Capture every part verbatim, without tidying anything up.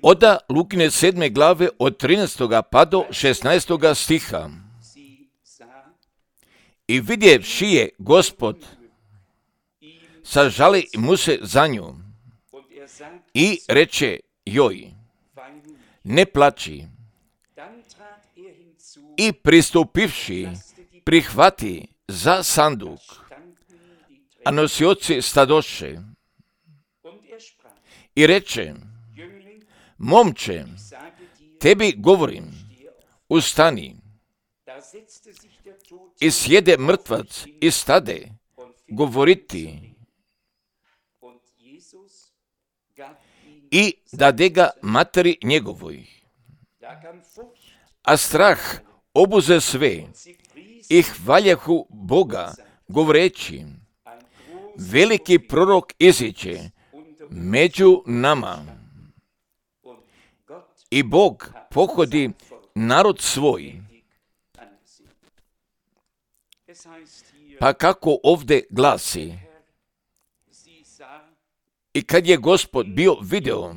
Oda Lukine sedme glave od trinaestoga pa do šesnaestoga stiha. I vidjevši je Gospod, sažali mu se za nju i reče joj, ne plači. I pristupivši, prihvati za sanduk, a nosioci stadoše. I reče, momče, tebi govorim, ustani. I sjede mrtvac i stade govoriti. I dade ga materi njegovoj. A strah obuze sve i hvaljahu Boga, govoreći, veliki prorok iziđe među nama. I Bog pohodi narod svoj. Pa kako ovdje glasi, i kad je Gospod bio video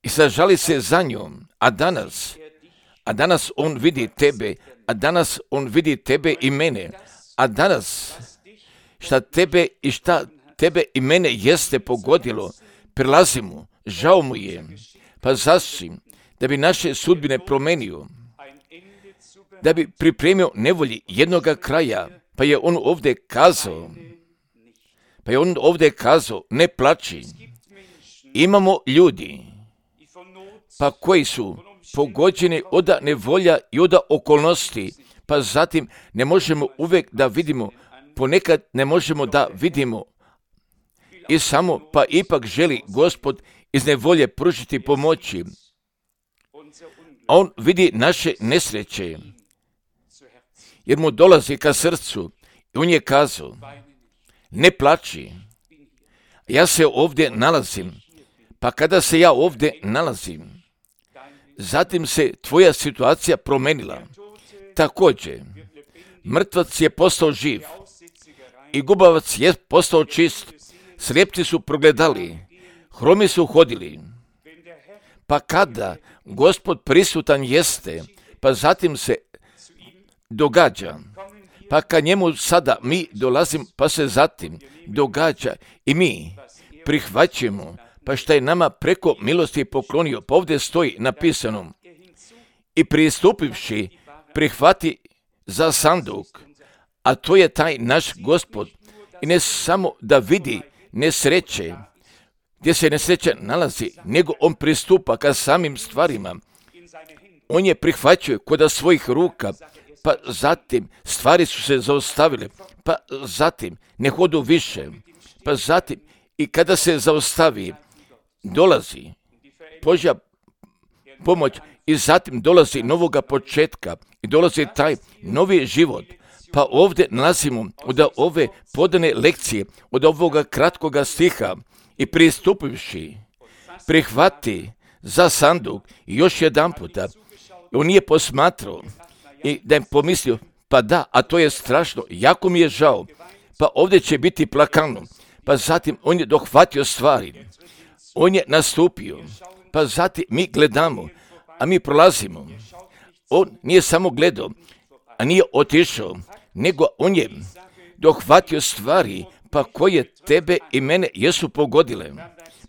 i sažali se za njom, a danas, a danas on vidi tebe, a danas on vidi tebe i mene, a danas šta tebe i šta tebe i mene jeste pogodilo, prilazi mu, žao mu je, pa zasim, da bi naše sudbine promenio, da bi pripremio nevolji jednoga kraja, pa je on ovdje kazao, pa je on ovdje kazao, ne plači. Imamo ljudi, pa koji su pogođeni od nevolja i od okolnosti, pa zatim ne možemo uvijek da vidimo, ponekad ne možemo da vidimo i samo, pa ipak želi Gospod iz nevolje pružiti pomoći. On vidi naše nesreće, jer mu dolazi ka srcu i on je kazao, ne plači, ja se ovdje nalazim, pa kada se ja ovdje nalazim, zatim se tvoja situacija promenila. Također, mrtvac je postao živ i gubavac je postao čist, slijepci su progledali, hromi su hodili. Pa kada Gospod prisutan jeste, pa zatim se događa, pa kad njemu sada mi dolazim, pa se zatim događa i mi prihvaćamo, pa šta je nama preko milosti poklonio, pa ovdje stoji napisano, i pristupivši prihvati za sanduk, a to je taj naš Gospod, i ne samo da vidi nesreće, gdje se nesreća nalazi, nego on pristupa ka samim stvarima. On je prihvaćuje kod svojih ruka, pa zatim stvari su se zaustavile, pa zatim ne hodu više, pa zatim i kada se zaustavi, dolazi Božja pomoć i zatim dolazi novoga početka i dolazi taj novi život. Pa ovdje nalazimo od ove podane lekcije, od ovoga kratkoga stiha, i pristupivši, prihvati za sanduk i još jedan puta. On nije posmatrao i da je pomislio, pa da, a to je strašno, jako mi je žao, pa ovdje će biti plakano. Pa zatim on je dohvatio stvari, on je nastupio, pa zatim mi gledamo, a mi prolazimo. On nije samo gledao, a nije otišao, nego on je dohvatio stvari, pa koje tebe i mene jesu pogodile.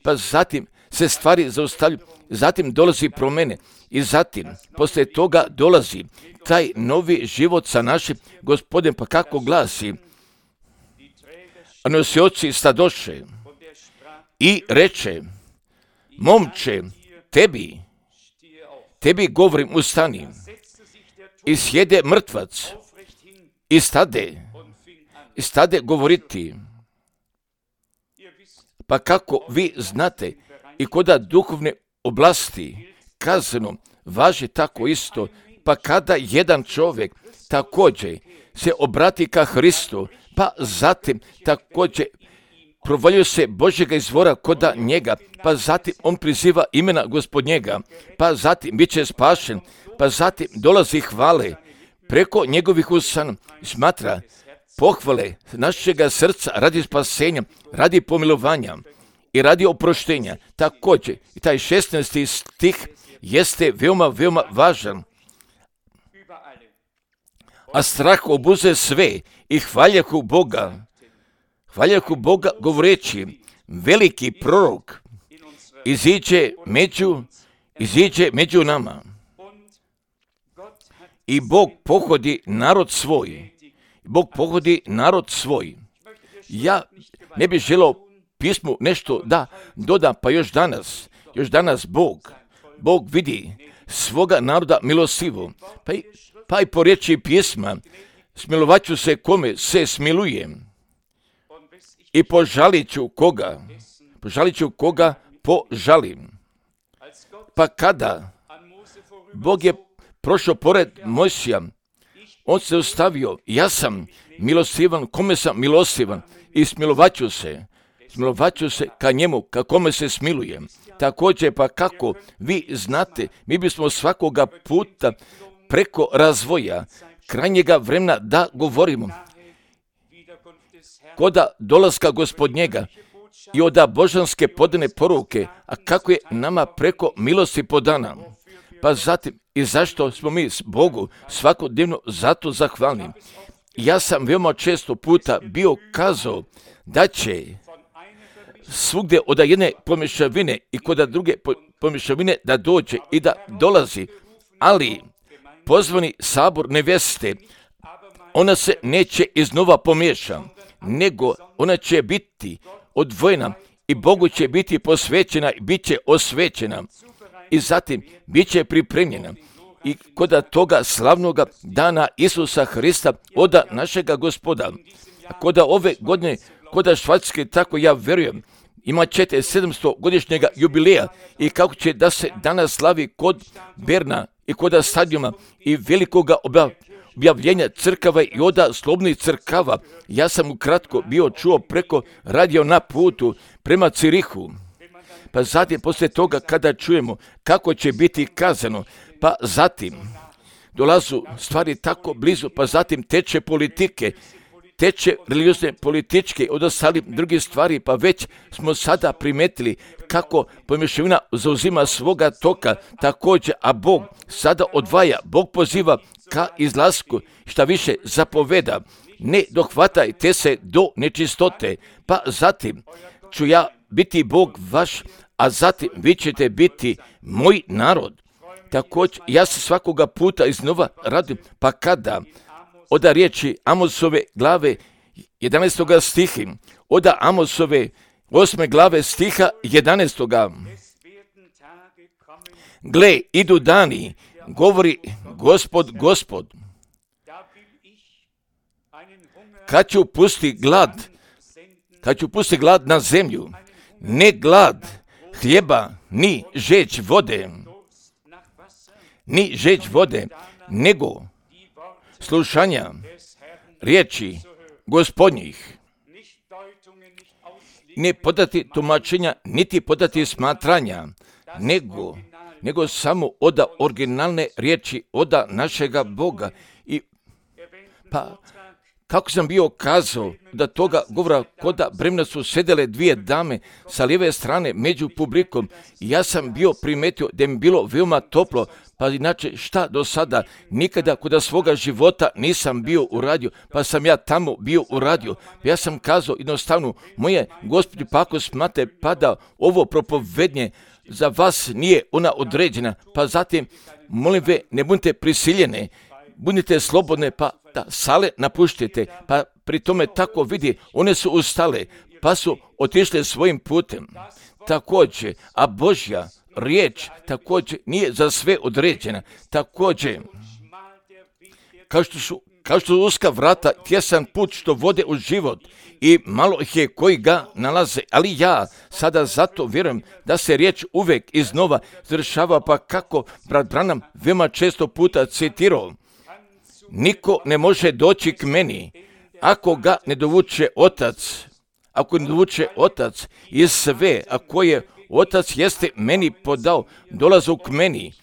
Pa zatim se stvari zaustavljaju, zatim dolazi promjene i zatim poslije toga dolazi taj novi život sa našim Gospodem, pa kako glasi, a nosioci stadoše i reče, momče, tebi, tebi govorim, ustani. I sjede mrtvac i stade, i stade govoriti. Pa kako vi znate, i koda duhovne oblasti kazano važi tako isto, pa kada jedan čovjek također se obrati ka Hristu, pa zatim također provaljuje se Božjega izvora koda njega, pa zatim on priziva imena Gospodnjega, pa zatim bit će spašen, pa zatim dolazi hvale preko njegovih usana, smatra, pohvale našega srca radi spasenja, radi pomilovanja i radi oproštenja. Također, i taj šesnaesti stih jeste veoma, veoma važan. A strah obuze sve i hvaljahu Boga. Hvaljahu Boga govoreći, veliki prorok iziđe među, iziđe među nama. I Bog pohodi narod svoj. Bog pohodi narod svoj. Ja ne bih želio pismu nešto da doda, pa još danas, još danas Bog, Bog vidi svoga naroda milosivo. Pa i, pa i po riječi pisma, smilovat ću se kome se smilujem. I požalit ću koga, požalit ću koga požalim. Pa kada Bog je prošao pored Mojsija, on se ostavio, ja sam milosivan, kome sam milosivan i smilovat ću se, smilovat ću se ka njemu, ka kome se smilujem. Također, pa kako vi znate, mi bismo svakoga puta preko razvoja, krajnjega vremena da govorimo, koda dolaska Gospodnjega i oda božanske podane poruke, a kako je nama preko milosti podana. Pa zatim, i zašto smo mi Bogu svakodnevno zato zahvalni. Ja sam veoma često puta bio kazao da će svugdje od jedne pomješavine i kod druge pomješavine da dođe i da dolazi, ali pozvani sabor neveste, ona se neće iznova pomiješa, nego ona će biti odvojena i Bogu će biti posvećena i bit će osvećena i zatim bit će pripremljena. I kod toga slavnoga dana Isusa Hrista, oda našega Gospoda, kod ove godine, kod Švajcarske, tako ja vjerujem, imat ćete sedamsto godišnjega jubileja i kako će da se danas slavi kod Berna i kod stadiuma i velikoga objavljenja crkava i oda slobnih crkava. Ja sam ukratko bio čuo preko radio na putu prema Cirihu. Pa zatim, poslije toga, kada čujemo kako će biti kazano, pa zatim dolazu stvari tako blizu, pa zatim teče politike, teče religiozne političke, od ostalih drugih stvari, pa već smo sada primetili kako pomješavina zauzima svoga toka također, a Bog sada odvaja, Bog poziva ka izlasku, šta više zapoveda, ne dohvatajte se do nečistote, pa zatim ću ja biti Bog vaš, a zatim vi ćete biti moj narod. Također, ja se svakoga puta iznova radim, pa kada oda riječi Amosove glave jedanaestoga stihi, oda Amosove osme glave stiha jedanaestoga. Gle, idu dani, govori Gospod, Gospod, kad ću pusti glad, kad ću pusti glad na zemlju, ne glad hljeba, ni žeđ vode, ni žeđ vode, nego slušanja riječi Gospodnjih. Ne podati tumačenja, niti podati smatranja, nego, nego samo oda originalne riječi oda našega Boga. I pa kako sam bio kazao da toga govora koda bremna su sedele dvije dame sa lijeve strane među publikom, ja sam bio primetio da mi bilo veoma toplo, pa inače šta do sada, nikada kod svoga života nisam bio uradio, pa sam ja tamo bio uradio. Ja sam kazao jednostavno, moje Gospodi, pa ako smate pada ovo propovednje, za vas nije ona određena, pa zatim, molim ve, ne budite prisiljene, budite slobodne, pa da sale napuštite, pa pri tome tako vidi, one su ustale, pa su otišle svojim putem. Također, a Božja riječ također nije za sve određena. Također, kao što su, kao što su uska vrata, tjesan put što vode u život i malo ih je koji ga nalaze, ali ja sada zato vjerujem da se riječ uvijek iznova završava, pa kako brat Branham veoma često puta citirao, niko ne može doći k meni ako ga ne dovuče otac, ako ne dovuče otac i sve, ako je otac jeste meni podao, dolazu k meni,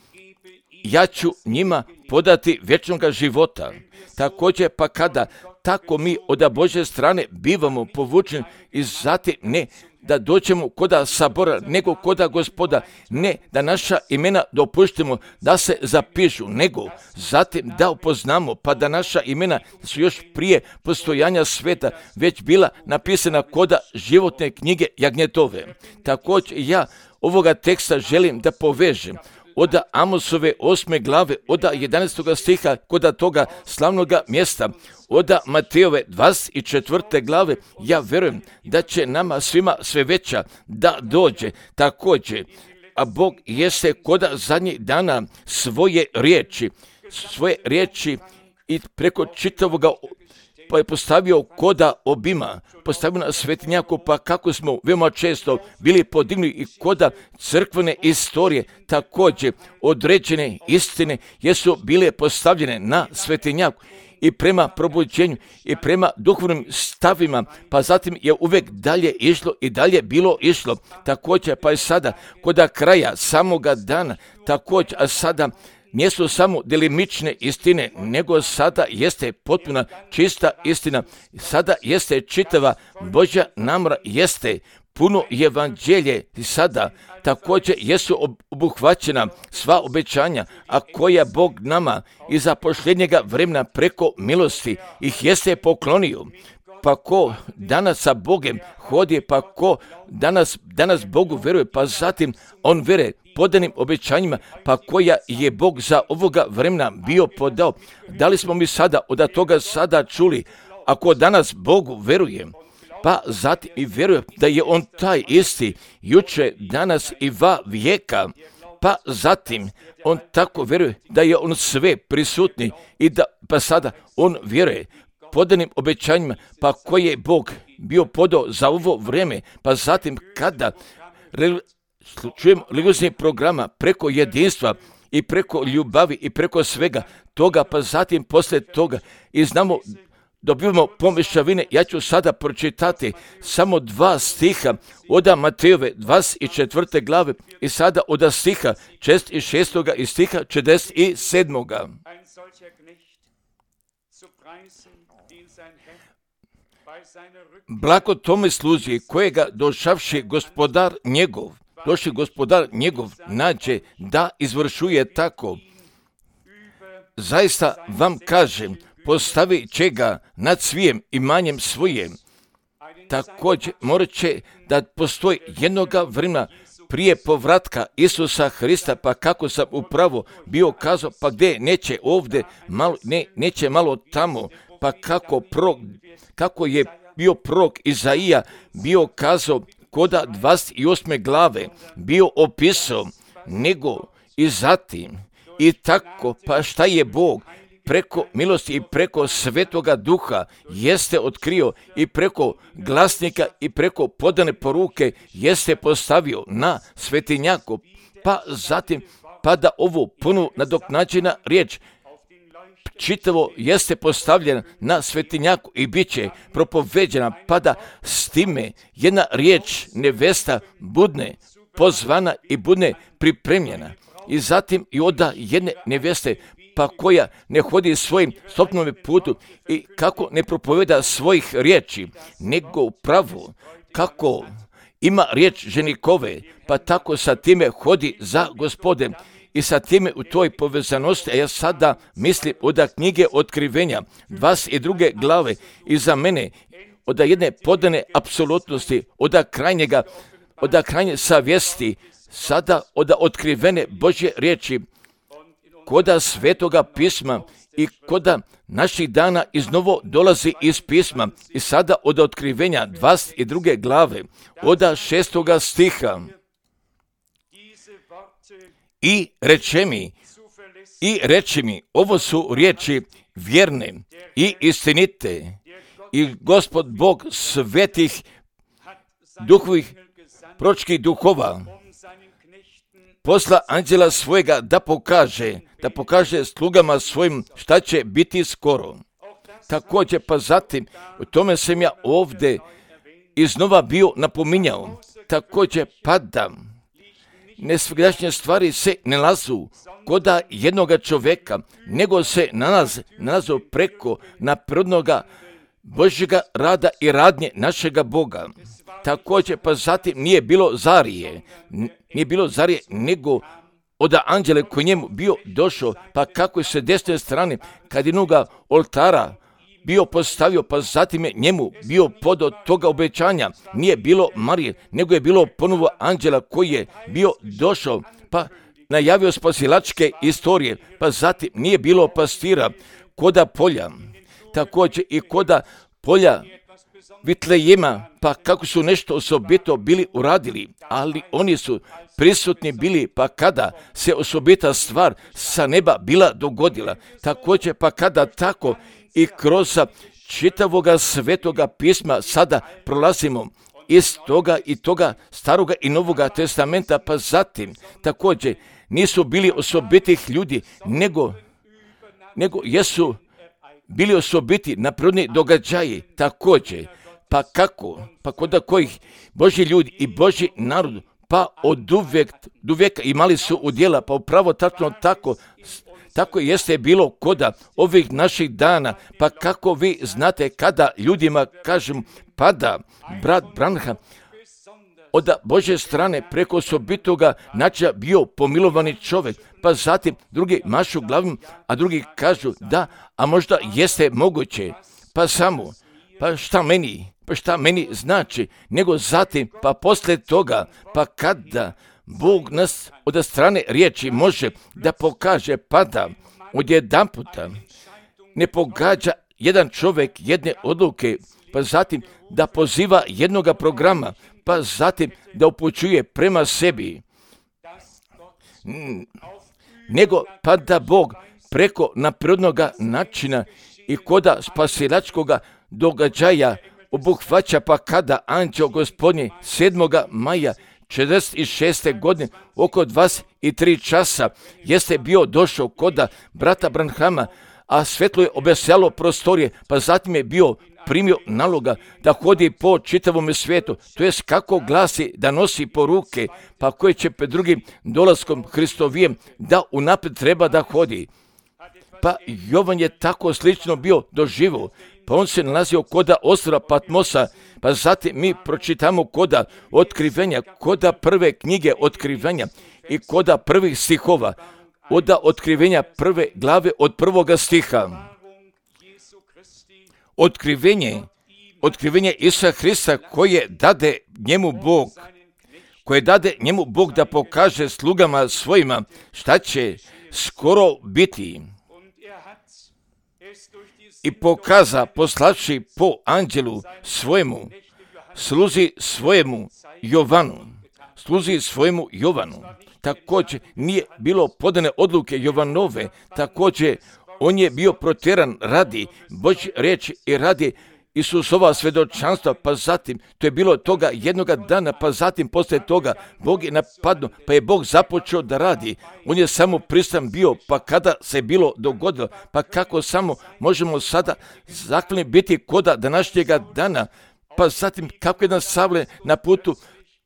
ja ću njima podati vječnoga života. Također pa kada tako mi od Božje strane bivamo povučeni i zatim ne da dođemo koda sabora, nego koda Gospoda, ne da naša imena dopuštimo da se zapišu, nego zatim da upoznamo, pa da naša imena su još prije postojanja sveta već bila napisana koda životne knjige jagnjetove. Također ja ovoga teksta želim da povežem od Amosove osme glave, od jedanaestog stiha, kod toga slavnoga mjesta, od Matejove dvadeset četvrte glave, ja vjerujem da će nama svima sve veća da dođe. Također, a Bog jeste kod zadnjih dana svoje riječi, svoje riječi i preko čitavoga pa je postavio koda obima, postavio na svetinjaku, pa kako smo veoma često bili podignuti i koda crkvene istorije, također određene istine jesu bile postavljene na svetinjaku i prema probuđenju i prema duhovnim stavima, pa zatim je uvijek dalje išlo i dalje bilo išlo. Također pa je sada koda kraja samoga dana, također, a sada nisu samo delimične istine, nego sada jeste potpuna čista istina. Sada jeste čitava Božja namjera, jeste puno evanđelje i sada također jesu obuhvaćena sva obećanja, a koja Bog nama i za posljednjega vremena preko milosti ih jeste poklonio. Pa ko danas sa Bogem hodi, pa ko danas, danas Bogu vjeruje, pa zatim on vjeruje podanim obećanjima, pa koja je Bog za ovoga vremena bio podao. Da li smo mi sada od toga sada čuli, ako danas Bogu vjerujem, pa zatim i vjerujem da je on taj isti, juče, danas i va vijeka, pa zatim on tako vjeruje da je on sve prisutni i da pa sada on vjeruje podanim obećanjima, pa koje je Bog bio podao za ovo vrijeme, pa zatim kada čujem religioznih programa preko jedinstva i preko ljubavi i preko svega toga, pa zatim poslije toga i znamo, dobivamo pomješavine. Ja ću sada pročitati samo dva stiha od Matejove dvadeset četvrte glave i sada od stiha četrdeset šestog i stiha četrdeset sedmog. Blago tome služi kojega došavši gospodar njegov, došli gospodar njegov nađe da izvršuje tako. Zaista vam kažem, postavi će ga nad svijem imanjem svojem. Također morat će da postoji jednoga vremena prije povratka Isusa Hrista, pa kako sam upravo bio kazao, pa gdje neće ovdje, malo, ne, neće malo tamo, pa kako, prorok, kako je bio prorok Izaija bio kazao koda dvadeset osme glave, bio opisao, nego i zatim i tako, pa šta je Bog preko milosti i preko Svetoga Duha jeste otkrio i preko glasnika i preko podane poruke jeste postavio na svetinjaku, pa zatim pa da ovu punu nadoknađena riječ čitavo jeste postavljena na svetinjaku i bit će propoveđena, pa da s time jedna riječ nevesta budne pozvana i budne pripremljena. I zatim i oda jedne neveste, pa koja ne hodi svojim stopnom putu i kako ne propoveda svojih riječi, nego upravo kako ima riječ ženikove, pa tako sa time hodi za Gospodem. I sa time u toj povezanosti, a ja sada mislim od knjige Otkrivenja, dvadeset druge glave, i za mene od jedne podane apsolutnosti, od krajnjega, od krajnje savjesti, sada od otkrivene Božje riječi, koda Svetoga pisma i koda naših dana iznovo dolazi iz pisma i sada od Otkrivenja dvadeset druge glave, od šestoga stiha. I reče mi, i reče mi, ovo su riječi vjerne i istinite, i Gospod Bog svetih duhovih, proročkih duhova posla anđela svojega da pokaže, da pokaže slugama svojim šta će biti skoro. Također pa zatim, u tome sam ja ovdje iznova bio napominjao, također padam. nesvegdašnje stvari se ne nalazu koda jednoga čoveka, nego se nalaze, nalazu preko naprirodnoga Božjega rada i radnje našega Boga. Također, pa zatim nije bilo Zarije, nije bilo Zarije, nego od anđele koji njemu bio došao, pa kako je se desne strane, kad jednoga oltara bio postavio, pa zatim je njemu bio pod toga obećanja. Nije bilo Marije, nego je bilo ponovo anđela koji je bio došao, pa najavio spasilačke istorije, pa zatim nije bilo pastira koda polja, također i koda polja Vitlejema, pa kako su nešto osobito bili uradili, ali oni su prisutni bili, pa kada se osobita stvar sa neba bila dogodila, također pa kada tako i kroz čitavoga svetoga pisma sada prolazimo iz toga i toga staroga i novoga testamenta, pa zatim također nisu bili osobitih ljudi, nego, nego jesu bili osobiti naprirodni događaji, također, pa kako, pa kod kojih Božji ljudi i Božji narod, pa od uvijek, od uvijeka imali su udjela, pa upravo tačno tako, tako jeste bilo koda ovih naših dana, pa kako vi znate kada ljudima kažem pada brat Branham od Božje strane preko osobitoga načina bio pomilovani čovjek, pa zatim drugi mašu glavom, a drugi kažu da, a možda jeste moguće, pa samo, pa šta meni, pa šta meni znači, nego zatim, pa poslije toga, pa kada Bog nas od strane riječi može da pokaže, pada odjedan puta, ne pogađa jedan čovjek jedne odluke, pa zatim da poziva jednoga programa, pa zatim da upućuje prema sebi, nego pa da Bog preko naprirodnoga načina i koda spasilačkoga događaja obuhvaća, pa kada anđeo Gospodnje sedmoga maja četrdeset šeste godine oko dvadeset tri časa jeste bio došao koda brata Branhama, a svetlo je obesjalo prostorije, pa zatim je bio primio naloga da hodi po čitavom svijetu, to jest kako glasi da nosi poruke, pa koje će pred drugim dolaskom Hristovijem da unaprijed treba da hodi. Pa Jovan je tako slično bio doživio, pa on se nalazio koda ostrva Patmosa, pa zatim mi pročitamo koda otkrivenja, koda prve knjige otkrivenja i koda prvih stihova, od otkrivenja prve glave od prvoga stiha. Otkrivenje, otkrivenje Isusa Hrista koje dade njemu Bog, koje dade njemu Bog da pokaže slugama svojima šta će skoro biti. I pokaza poslavši po anđelu svojemu, sluzi svojemu Jovanu, sluzi svojemu Jovanu. Također nije bilo podane odluke Jovanove, također on je bio protjeran radi Božje riječi i radi Isusova svjedočanstva, pa zatim, to je bilo toga jednoga dana, pa zatim poslije toga Bog je napadnuo, pa je Bog započeo da radi. On je samo pristan bio, pa kada se bilo dogodilo, pa kako samo možemo sada zahvalni biti koda današnjega dana, pa zatim kako jedan Savle na putu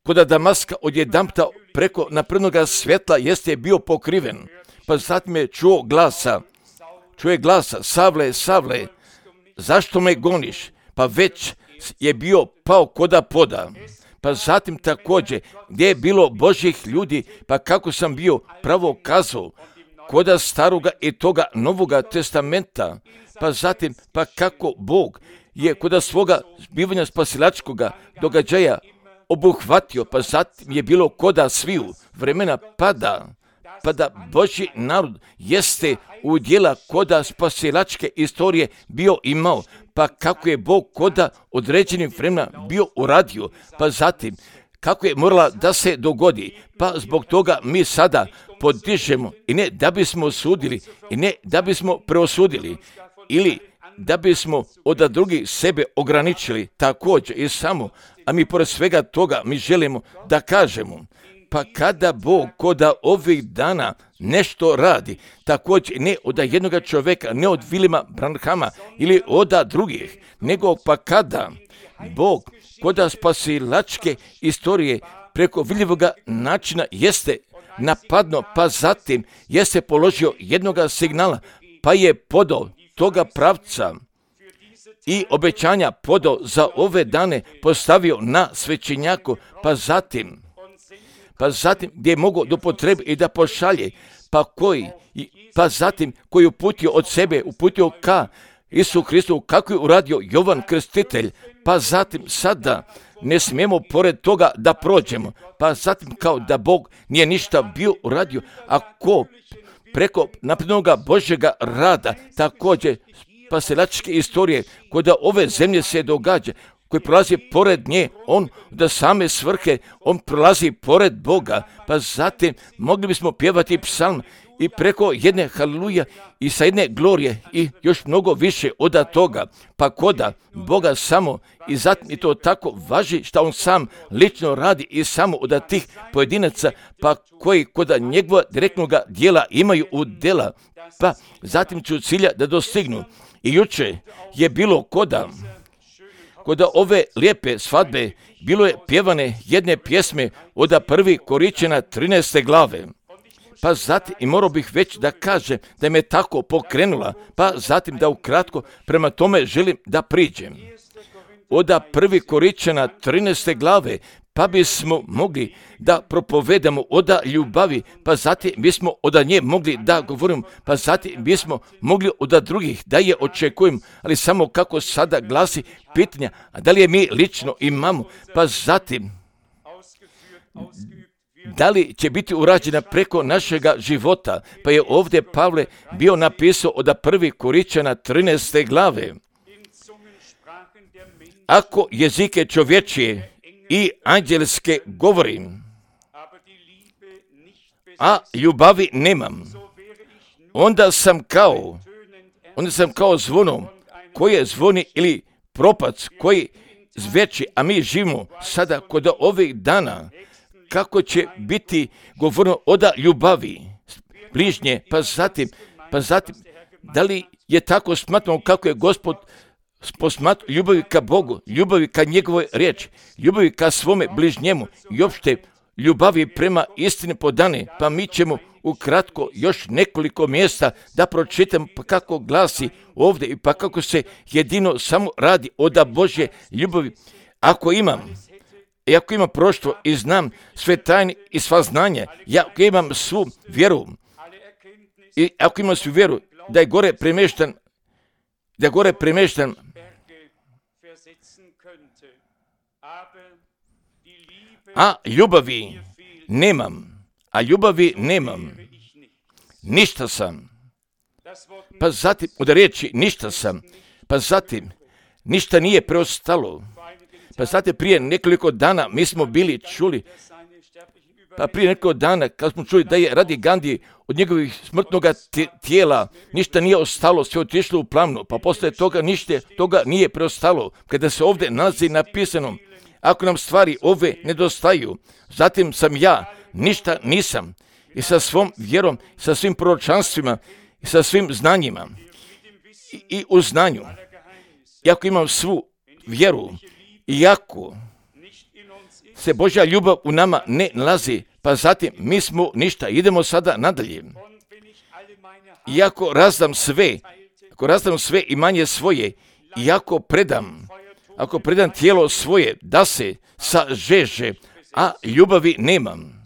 koda Damaska odjedanputa preko naprednoga svjetla jeste bio pokriven, pa zatim je čuo glasa, čuje glasa, Savle, Savle, zašto me goniš? Pa već je bio pao koda poda. Pa zatim također, gdje je bilo Božjih ljudi, pa kako sam bio pravo kazao, koda staroga i toga novoga testamenta, pa zatim, pa kako Bog je koda svoga zbivanja spasilačkoga događaja obuhvatio, pa zatim je bilo koda sviju vremena pada, pa da Božji narod jeste u dijela koda spasilačke istorije bio imao, pa kako je Bog koda određenim vremena bio uradio, pa zatim kako je morala da se dogodi, pa zbog toga mi sada podižemo i ne da bismo osudili i ne da bismo preosudili ili da bismo od drugih sebe ograničili također i samo, a mi pored svega toga mi želimo da kažemo, pa kada Bog koda ovih dana nešto radi, također ne od jednoga čovjeka, ne od Vilima Branhama ili od drugih, nego pa kada Bog koda spasilačke istorije preko vidljivoga načina jeste napadno, pa zatim jeste položio jednoga signala, pa je podao toga pravca i obećanja podao za ove dane, postavio na svećenjaku, pa zatim, pa zatim gdje je mogao do potrebe i da pošalje, pa koji, pa zatim koji je uputio od sebe, uputio ka Isu Hristu, kako je uradio Jovan Krstitelj, pa zatim sada ne smijemo pored toga da prođemo, pa zatim kao da Bog nije ništa bio uradio, ako preko naprednoga Božjega rada, također spasilačke istorije koje da ove zemlje se događa, koji prolazi pored nje, on da same svrhe, on prolazi pored Boga, pa zatim mogli bismo pjevati psalm i preko jedne haleluja i sa jedne glorije i još mnogo više od toga, pa koda Boga samo i zatim i to tako važi što on sam lično radi i samo od tih pojedinaca, pa koji koda njegova direktnog dijela imaju u dela, pa zatim ću cilja da dostignu. I juče je bilo koda, koda ove lijepe svadbe, bilo je pjevane jedne pjesme od prvi Koričana trinaeste glave. Pa zatim, i morao bih već da kažem da me tako pokrenula, pa zatim da ukratko prema tome želim da priđem. Od prvi Koričana trinaeste glave, pa bismo mogli da propovedamo od ljubavi, pa zatim bismo od nje mogli da govorimo, pa zatim bismo mogli od drugih da je očekujemo, ali samo kako sada glasi pitanja, a da li je mi lično imamo, pa zatim da li će biti urađena preko našega života, pa je ovdje Pavle bio napisao od prvi Koričana trinaeste glave. Ako jezike čovječije i anđelske govorim, a ljubavi nemam, onda sam kao, onda sam kao zvonom koje zvoni ili propac koji zveči, a mi živimo sada kod ovih dana, kako će biti govorno od ljubavi bližnje, pa zatim, pa zatim, da li je tako smatrano kako je Gospod posmatrao ljubavi ka Bogu, ljubavi ka njegovoj riječi, ljubavi ka svome bližnjemu i opšte ljubavi prema istini podane, pa mi ćemo ukratko još nekoliko mjesta da pročitam pa kako glasi ovdje i pa kako se jedino samo radi od Božje ljubavi. Ako imam, i ako imam proštvo i znam sve tajne i sva znanja, ja ako imam svu vjeru, i ako imam svu vjeru da je gore premještan, da je gore premještan, a ljubavi nemam, a ljubavi nemam, ništa sam, pa zatim od riječi ništa sam, pa zatim ništa nije preostalo. Pa znate, prije nekoliko dana mi smo bili čuli, pa prije nekoliko dana kad smo čuli da je radi Gandhi od njegovih smrtnog tijela ništa nije ostalo, sve otišlo u plamnu, pa posle toga ništa toga nije preostalo. Kada se ovdje nalazi napisano, ako nam stvari ove nedostaju, zatim sam ja, ništa nisam, i sa svom vjerom, sa svim proročanstvima, i sa svim znanjima, i, i u znanju, iako imam svu vjeru, iako se Božja ljubav u nama ne nalazi, pa zatim mi smo ništa, idemo sada nadalje. Iako razdam sve, ako razdam sve imanje svoje, iako predam, ako predam tijelo svoje da se sažeže, a ljubavi nemam,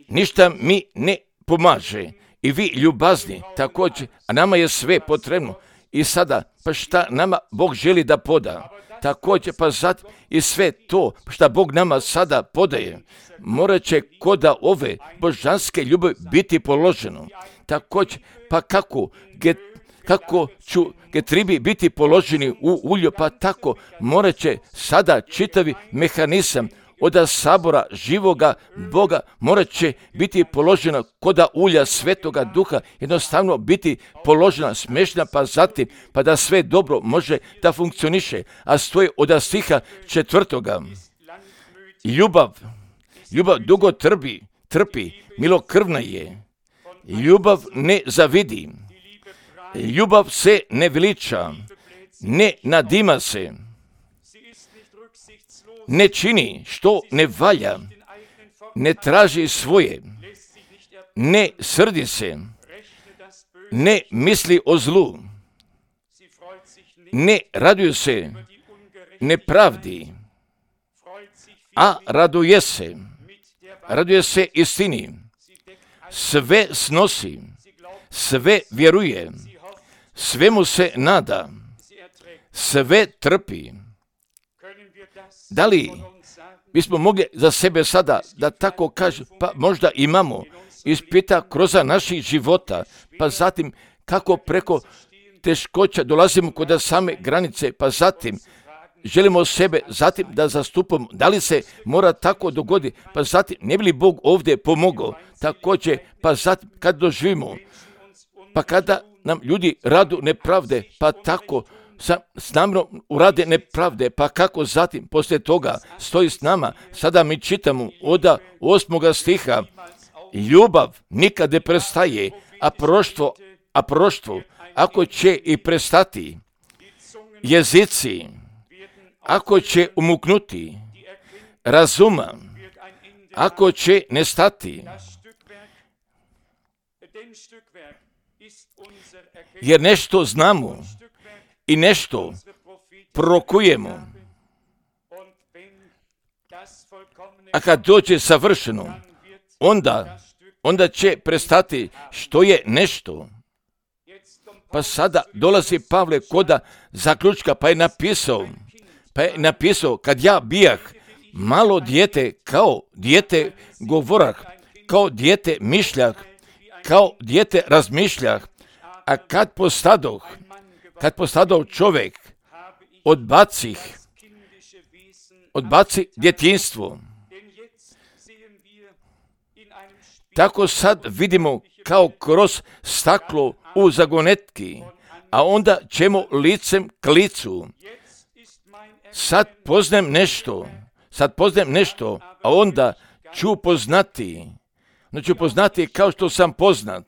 ništa mi ne pomaže. I vi ljubazni također, a nama je sve potrebno. I sada, pa šta nama Bog želi da poda, također pa zatim i sve to šta Bog nama sada podaje, morat će koda ove božanske ljubavi biti položeno. Također, pa kako, get, kako ću getribi biti položeni u ulju, pa tako morat će sada čitavi mehanizam od sabora živoga Boga morat će biti položena koda ulja Svetoga Duha, jednostavno biti položena, smešna, pa zatim, pa da sve dobro može da funkcioniše. A stoji od stiha četvrtoga. Ljubav, ljubav dugo trpi, trpi, milokrvna je. Ljubav ne zavidi. Ljubav se ne veliča, ne nadima se. ne čini što ne valja, ne traži svoje, ne srdi se, ne misli o zlu, ne raduje se nepravdi, a raduje se, raduje se istini, sve snosi, sve vjeruje, svemu se nada, sve trpi. Da li bismo mogli za sebe sada da tako kažu, pa možda imamo ispita kroz naših života, pa zatim kako preko teškoća dolazimo kod same granice, pa zatim želimo sebe zatim da zastupamo. Da li se mora tako dogoditi, pa zatim ne bi li Bog ovdje pomogao, također, pa zatim kad doživimo, pa kada nam ljudi radu nepravde, pa tako sa, s namjerom urade nepravde, pa kako zatim poslije toga stoji s nama. Sada mi čitamo od osmoga stiha, ljubav nikad ne prestaje, a proštvo, a proštvo, ako će i prestati, jezici, ako će umuknuti, razuma, ako će nestati, jer nešto znamo i nešto prorokujemo, a kad dođe savršeno, onda, onda će prestati što je nešto. Pa sada dolazi Pavle koda zaključka, pa je napisao, pa je napisao, kad ja bijah malo dijete, kao dijete govorah, kao dijete mišljah, kao dijete razmišljah, a kad postadoh, kad postadoh čovjek, odbacih, odbaci djetinjstvo. Tako sad vidimo kao kroz staklo u zagonetki, a onda ćemo licem k licu. Sad poznajem nešto, sad poznajem nešto, a onda ću poznati, no ću poznati kao što sam poznat.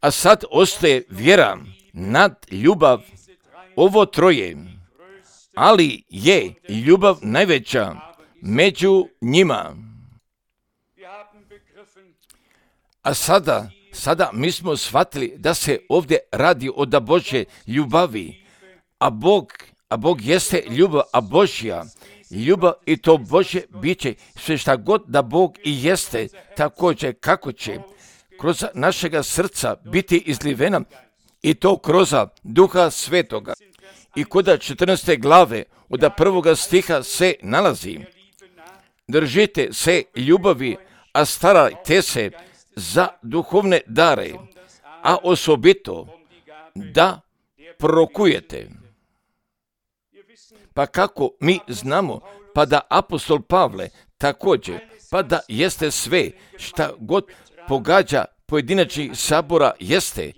A sad ostaje vjera, nad ljubav, ovo troje, ali je ljubav najveća među njima. A sada, sada mi smo shvatili da se ovdje radi o da Božje ljubavi, a Bog, a Bog jeste ljubav, a Božja ljubav i to Božje biće, sve šta god da Bog i jeste, također kako će kroz našega srca biti izlivena i to kroz Duha Svetoga. I kod četrnaeste glave od prvoga stiha se nalazi: držite se ljubavi, a starajte se za duhovne dare, a osobito da prorokujete. Pa kako mi znamo, pa da apostol Pavle također, pa da jeste sve šta god pogađa pojedinačnih sabora jeste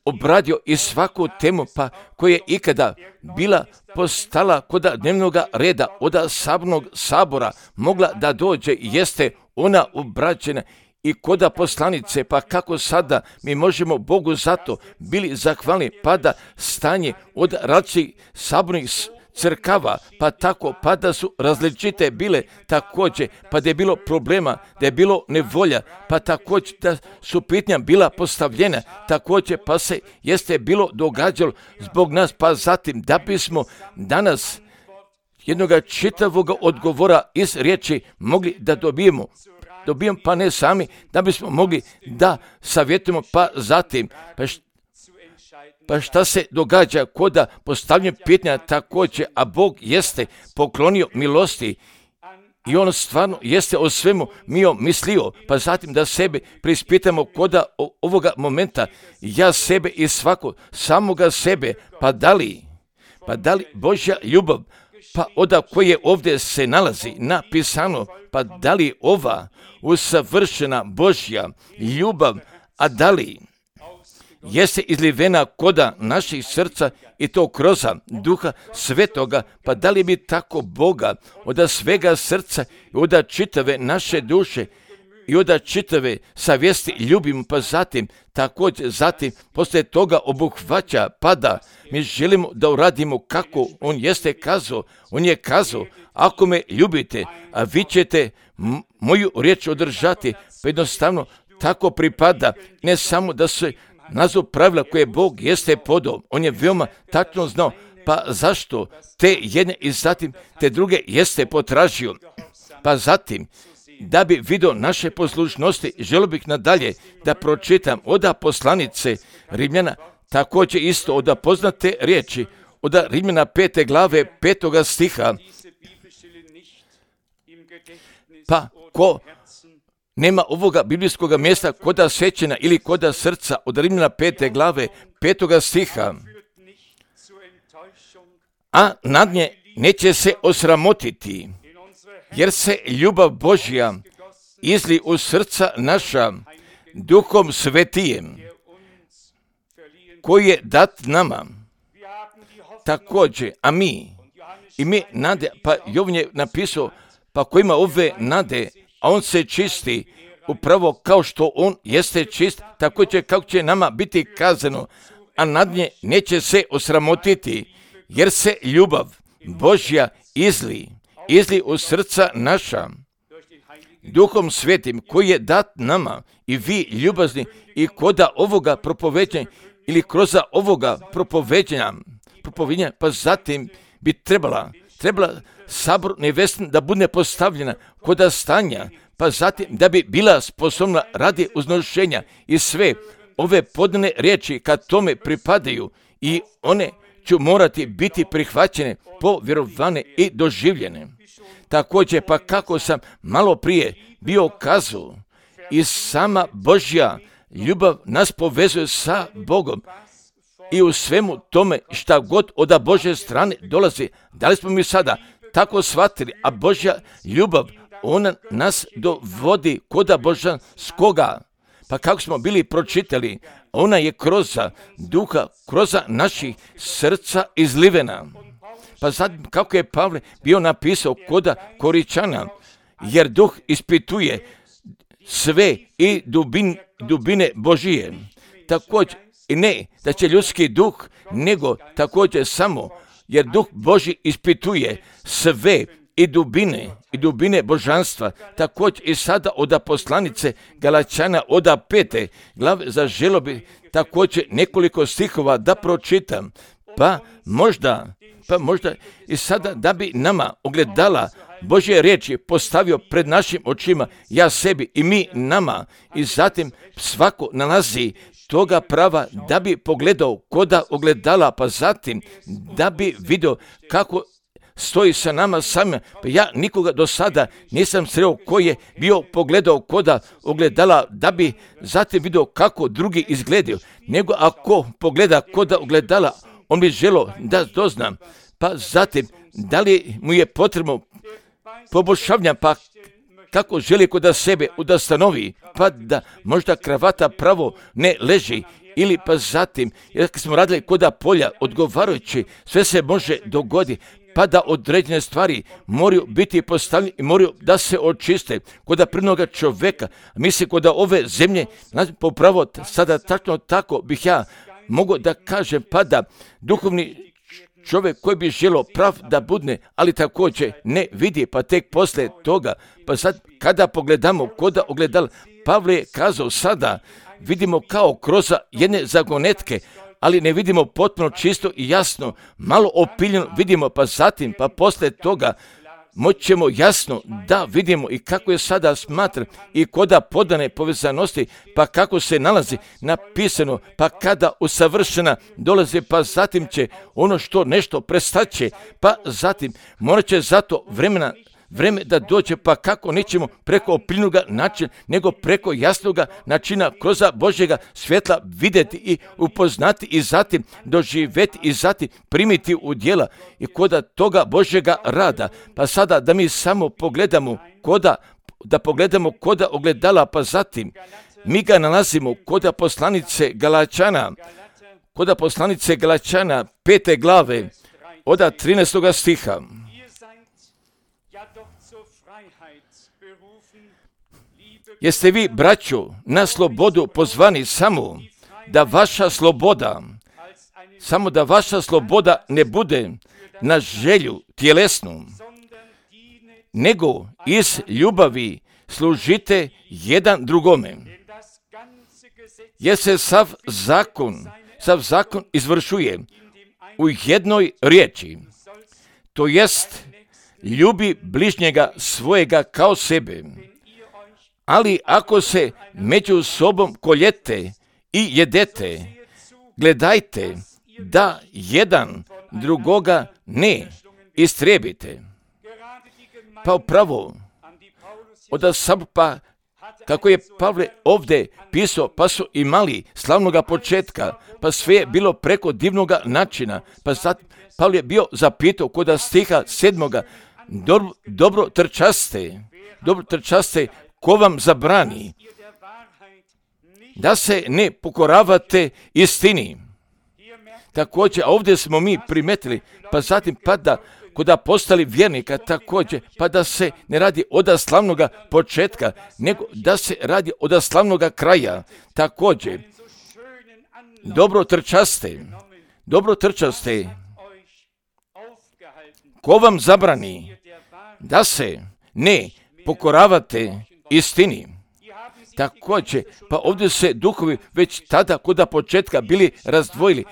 obradio i svaku temu pa koja je ikada bila postala kod dnevnog reda od sabnog sabora mogla da dođe jeste ona obrađena i koda poslanice, pa kako sada mi možemo Bogu zato bili zahvalni, pa da stanje od različitih sabornih crkava, pa tako, pa da su različite bile također, pa da je bilo problema, da je bilo nevolja, pa također da su pitanja bila postavljena, također pa se jeste bilo događalo zbog nas, pa zatim da bismo danas jednoga čitavog odgovora iz riječi mogli da dobijemo, dobijemo pa ne sami, da bismo mogli da savjetujemo, pa zatim, pa što Pa šta se događa koda postavljanja pitanja također, a Bog jeste poklonio milosti i on stvarno jeste o svemu mio mislio, pa zatim da sebe prispitamo koda ovoga momenta, ja sebe i svako, samoga sebe, pa da li, pa da li Božja ljubav, pa oda koje ovdje se nalazi napisano, pa da li ova usavršena Božja ljubav, a da li jeste izlivena koda naših srca i to kroz Duha Svetoga, pa da li bi tako Boga od svega srca i od čitave naše duše i onda čitave savjesti ljubimo, pa zatim također zatim poslije toga obuhvaća, pada. Mi želimo da uradimo kako on jeste kazao. On je kazao, ako me ljubite, a vi ćete m- moju riječ održati, pa jednostavno tako pripada, ne samo da se nazvu pravila koje Bog jeste podao. On je veoma tačno znao, pa zašto te jedne i zatim te druge jeste potražio. Pa zatim, da bi vidio naše poslušnosti, želio bih nadalje da pročitam od poslanice Rimljana, također isto od poznate riječi, od Rimljana pete glave petoga stiha. Pa ko nema ovoga biblijskog mjesta koda sećena ili koda srca, od Rimljana pete glave petoga stiha, a nad nje neće se osramotiti, jer se ljubav Božja izli u srca naša Duhom Svetijem, koji je dat nama. Također, a mi, i mi nade, pa Jovan je napisao, pa ko ima ove nade, a on se čisti, upravo kao što on jeste čist, također kako će nama biti kazano, a nad nje neće se osramotiti, jer se ljubav Božja izli, izli u srca naša, Duhom Svetim, koji je dat nama, i vi ljubazni, i koda ovoga propoveđenja, ili kroz ovoga propoveđenja, propoveđenja, pa zatim bi trebala, trebala sabor nevestin da bude postavljena koda stanja, pa zatim da bi bila sposobna radi uznošenja, i sve ove podane riječi kad tome pripadaju, i one ću morati biti prihvaćene, povjerovane i doživljene. Također, pa kako sam malo prije bio kazao, i sama Božja ljubav nas povezuje sa Bogom, i u svemu tome šta god od Božje strane dolazi. Da li smo mi sada tako shvatili, a Božja ljubav, ona nas dovodi koda božanskoga. Pa kako smo bili pročitali, ona je kroz duha, kroz naših srca izlivena. Pa sad kako je Pavle bio napisao koda Koričana, jer duh ispituje sve i dubin, dubine Božije. Također, i ne da će ljudski duh, nego također samo, jer duh Božji ispituje sve i dubine, i dubine božanstva. Također i sada od poslanice Galačana od pete glave zaželio bi također nekoliko stihova da pročitam, pa možda, pa možda i sada da bi nama ogledala Božje riječi postavio pred našim očima, ja sebi i mi nama, i zatim svako nalazi toga prava da bi pogledao koda ogledala, pa zatim da bi vidio kako stoji sa nama samima. Pa ja nikoga do sada nisam sreo koji je bio pogledao koda ogledala da bi zatim vidio kako drugi izgledaju, nego ako pogleda koda ogledala, on bi želio da doznam, pa zatim da li mu je potrebno poboljšavanja, pa kako želi kod sebe da stanovi, pa da možda kravata pravo ne leži, ili pa zatim, jer kad smo radili kod polja odgovarajući, sve se može dogoditi, pa da određene stvari moraju biti postavljene i moraju da se očiste kod prvnoga čovjeka. Mislim, kod ove zemlje, popravo sada tačno tako bih ja mogu da kažem, pa da duhovni čovjek koji bi želio prav da budne, ali također ne vidi, pa tek poslije toga, pa sad kada pogledamo koda ogledala, Pavle je kazao sada, vidimo kao kroz jedne zagonetke, ali ne vidimo potpuno čisto i jasno, malo opiljeno vidimo, pa zatim, pa poslije toga moći ćemo jasno da vidimo i kako je sada smatran i koda podane povezanosti, pa kako se nalazi napisano, pa kada usavršena dolazi, pa zatim će ono što nešto prestaće, pa zatim morat će zato vremena vreme da dođe, pa kako nećemo preko opiljnoga načina, nego preko jasnoga načina kroz Božjega svjetla vidjeti i upoznati i zatim doživjeti i zatim primiti u djela i koda toga Božjega rada. Pa sada da mi samo pogledamo koda, da pogledamo koda ogledala, pa zatim mi ga nalazimo koda poslanice Galačana, koda poslanice Galačana pete glave od trinaestoga stiha. Jeste vi, braćo, na slobodu pozvani samo da vaša sloboda, samo da vaša sloboda ne bude na želju tjelesnu, nego iz ljubavi služite jedan drugome. Jer se sav zakon, sav zakon izvršuje u jednoj riječi, to jest ljubi bližnjega svojega kao sebe. Ali ako se među sobom koljete i jedete, gledajte da jedan drugoga ne istrijebite. Pa upravo, od pa kako je Pavle ovdje pisao, pa su imali slavnoga početka, pa sve je bilo preko divnoga načina, pa sad Pavle je bio zapitao kod stiha sedmoga, dobro, dobro trčaste, dobro trčaste, ko vam zabrani da se ne pokoravate istini. Također, a ovdje smo mi primetili, pa zatim pa da kod postali vjernika također, pa da se ne radi od slavnoga početka, nego da se radi od slavnoga kraja. Također, dobro trčaste, dobro trčaste, ko vam zabrani da se ne pokoravate istini. Također, pa ovdje se duhovi već tada kod početka bili razdvojili.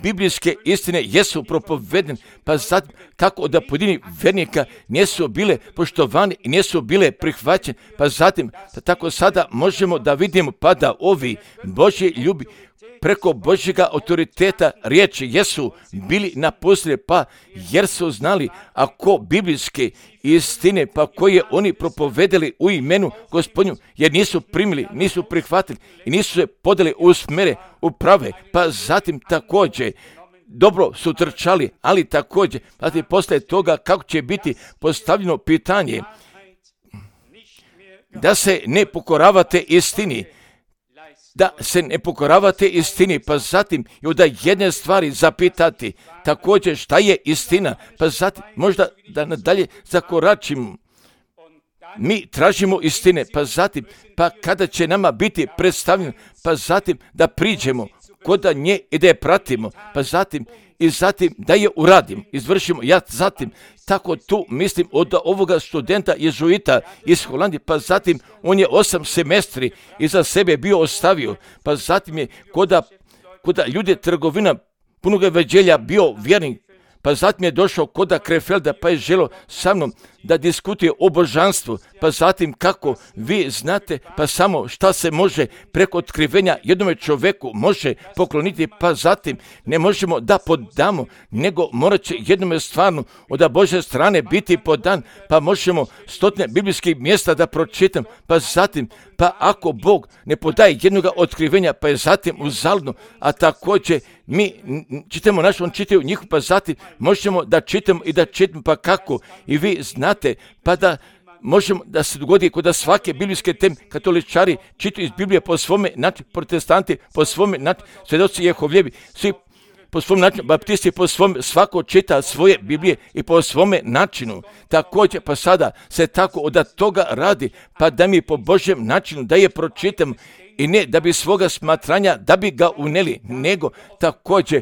Biblijske istine jesu propovedene, pa sad kako da pojedini vjernika nisu bile poštovani i nisu bile prihvaćene, pa zatim pa tako sada možemo da vidimo pa da ovi Božji ljubi preko Božjega autoriteta riječi jesu bili napustili, pa jer su znali ako biblijske istine pa koje oni propovedali u imenu Gospodnju, jer nisu primili, nisu prihvatili i nisu se podali u smere, u prave, pa zatim također dobro su trčali, ali također zatim posle toga kako će biti postavljeno pitanje da se ne pokoravate istini, da se ne pokoravate istini, pa zatim i od jedne stvari zapitati također šta je istina, pa zatim možda da nadalje zakoračimo. Mi tražimo istine, pa zatim, pa kada će nama biti predstavljeno, pa zatim da priđemo kod nje i da je pratimo, pa zatim i zatim da je uradim, izvršimo. Ja zatim tako tu mislim od ovoga studenta jezuita iz Holandije, pa zatim on je osam semestri iza sebe bio ostavio, pa zatim je koda, koda ljudi trgovina punoga veđelja bio vjernik, pa zatim je došao koda Krefelda, pa je želio sa mnom da diskutuje o božanstvu, pa zatim kako vi znate, pa samo šta se može preko otkrivenja jednome čovjeku može pokloniti, pa zatim ne možemo da podamo, nego morat će jednome stvarno od Božje strane biti podan, pa možemo stotine biblijskih mjesta da pročitam, pa zatim, pa ako Bog ne podaje jednoga otkrivenja, pa je zatim uzaludno, a također mi čitamo naš, on čitaju njih, pa zatim možemo da čitamo i da čitamo, pa kako i vi znate, pa da možemo da se dogodi kod svake biblijske teme, katoličari čitaju iz Biblije po svome načinu, protestanti po svome načinu, svjedoci Jehovljevi, svi po svom načinu, baptisti po svom, svako čita svoje Biblije i po svome načinu. Također, pa sada se tako od toga radi, pa da mi po Božjem načinu da je pročitam i ne da bi svoga smatranja, da bi ga uneli, nego također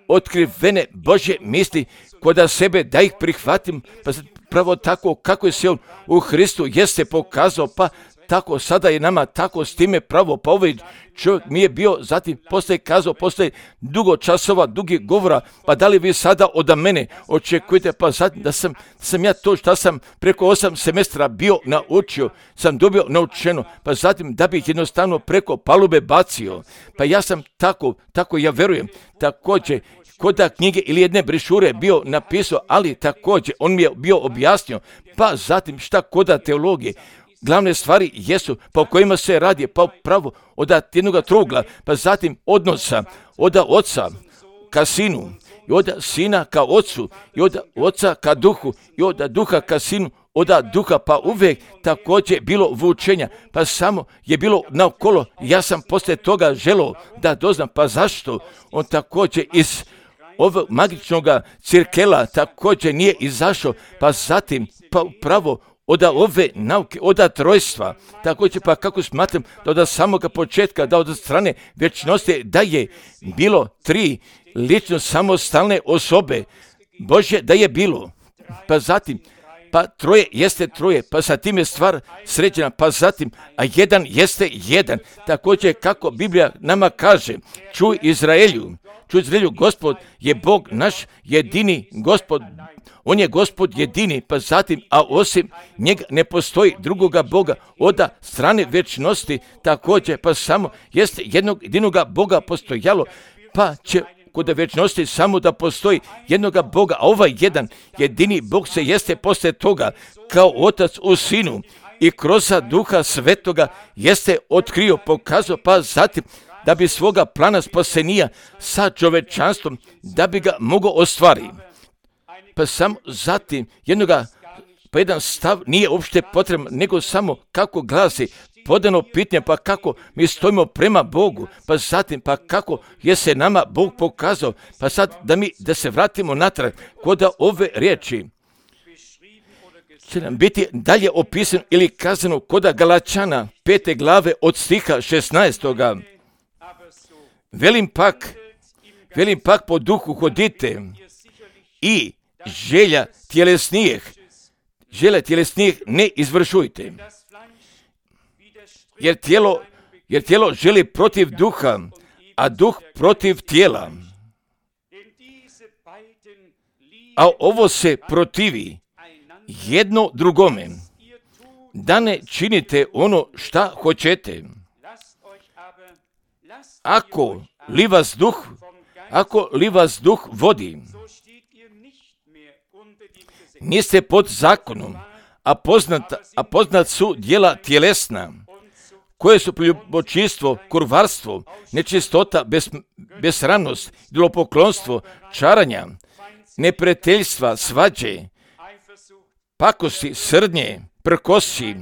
otkrivene Božje misli kod sebe da ih prihvatim, pa pravo tako kako je se on u Hristu jeste pokazao, pa tako sada je nama tako s time pravo, pa ovaj čovjek mi je bio, zatim poslije kazao, poslije dugo časova, dugi govora, pa da li vi sada od mene očekujete, pa zatim da sam, sam ja to što sam preko osam semestra bio naučio, sam dobio naučeno, pa zatim da bih jednostavno preko palube bacio, pa ja sam tako, tako ja verujem, također, koda knjige ili jedne brišure bio napisao, ali također on mi je bio objasnio, pa zatim šta koda teologije, glavne stvari jesu po kojima se radi, pa pravo od jednog trugla, pa zatim odnosa od oca ka sinu, i od sina ka ocu, i od oca ka duhu, i od duha ka sinu, od duha, pa uvijek također bilo vučenja, pa samo je bilo naokolo, ja sam poslije toga želio da doznam, pa zašto on također iz ovog magičnog cirkela također nije izašao, pa zatim pa upravo od ove nauke, od trojstva, također pa kako smatram da od samoga početka, da od strane vječnosti, da je bilo tri lično samostalne osobe Božje, da je bilo, pa zatim, pa troje jeste troje, pa sa tim je stvar sređena, pa zatim, a jedan jeste jedan, također kako Biblija nama kaže, čuj Izraelju, čuj Izraelju, Gospod je Bog naš jedini Gospod, On je Gospod jedini, pa zatim, a osim njega ne postoji drugoga Boga od strane vječnosti, također, pa samo jeste jednog jedinoga Boga postojalo, pa će kod vječnosti samo da postoji jednoga Boga, a ovaj jedan jedini Bog se jeste poslije toga kao Otac u Sinu i kroz Duha Svetoga jeste otkrio, pokazao, pa zatim da bi svoga plana spasenija sa čovečanstvom, da bi ga mogao ostvariti. Pa samo zatim jednoga, pa jedan stav nije uopšte potreban, nego samo kako glasi podano pitanje, pa kako mi stojimo prema Bogu, pa zatim, pa kako je se nama Bog pokazao, pa sad da mi, da se vratimo natrag, kod ove riječi će nam biti dalje opisano ili kazano kod Galačana pete glave od stiha šesnaestoga. Velim pak, velim pak po duhu hodite i želja tjelesnijih, želja tjelesnijih ne izvršujte. Jer tijelo, jer tijelo želi protiv duha, a duh protiv tijela. A ovo se protivi jedno drugome, da ne činite ono šta hoćete. Ako li vas duh, ako li vas duh vodi, niste pod zakonom, a poznat, a poznat su djela tjelesna, koje su ljubočinstvo, kurvarstvo, nečistota, bes, besramnost, idolopoklonstvo, čaranja, neprijateljstva, svađe, pakosti, srdnje, prkosi,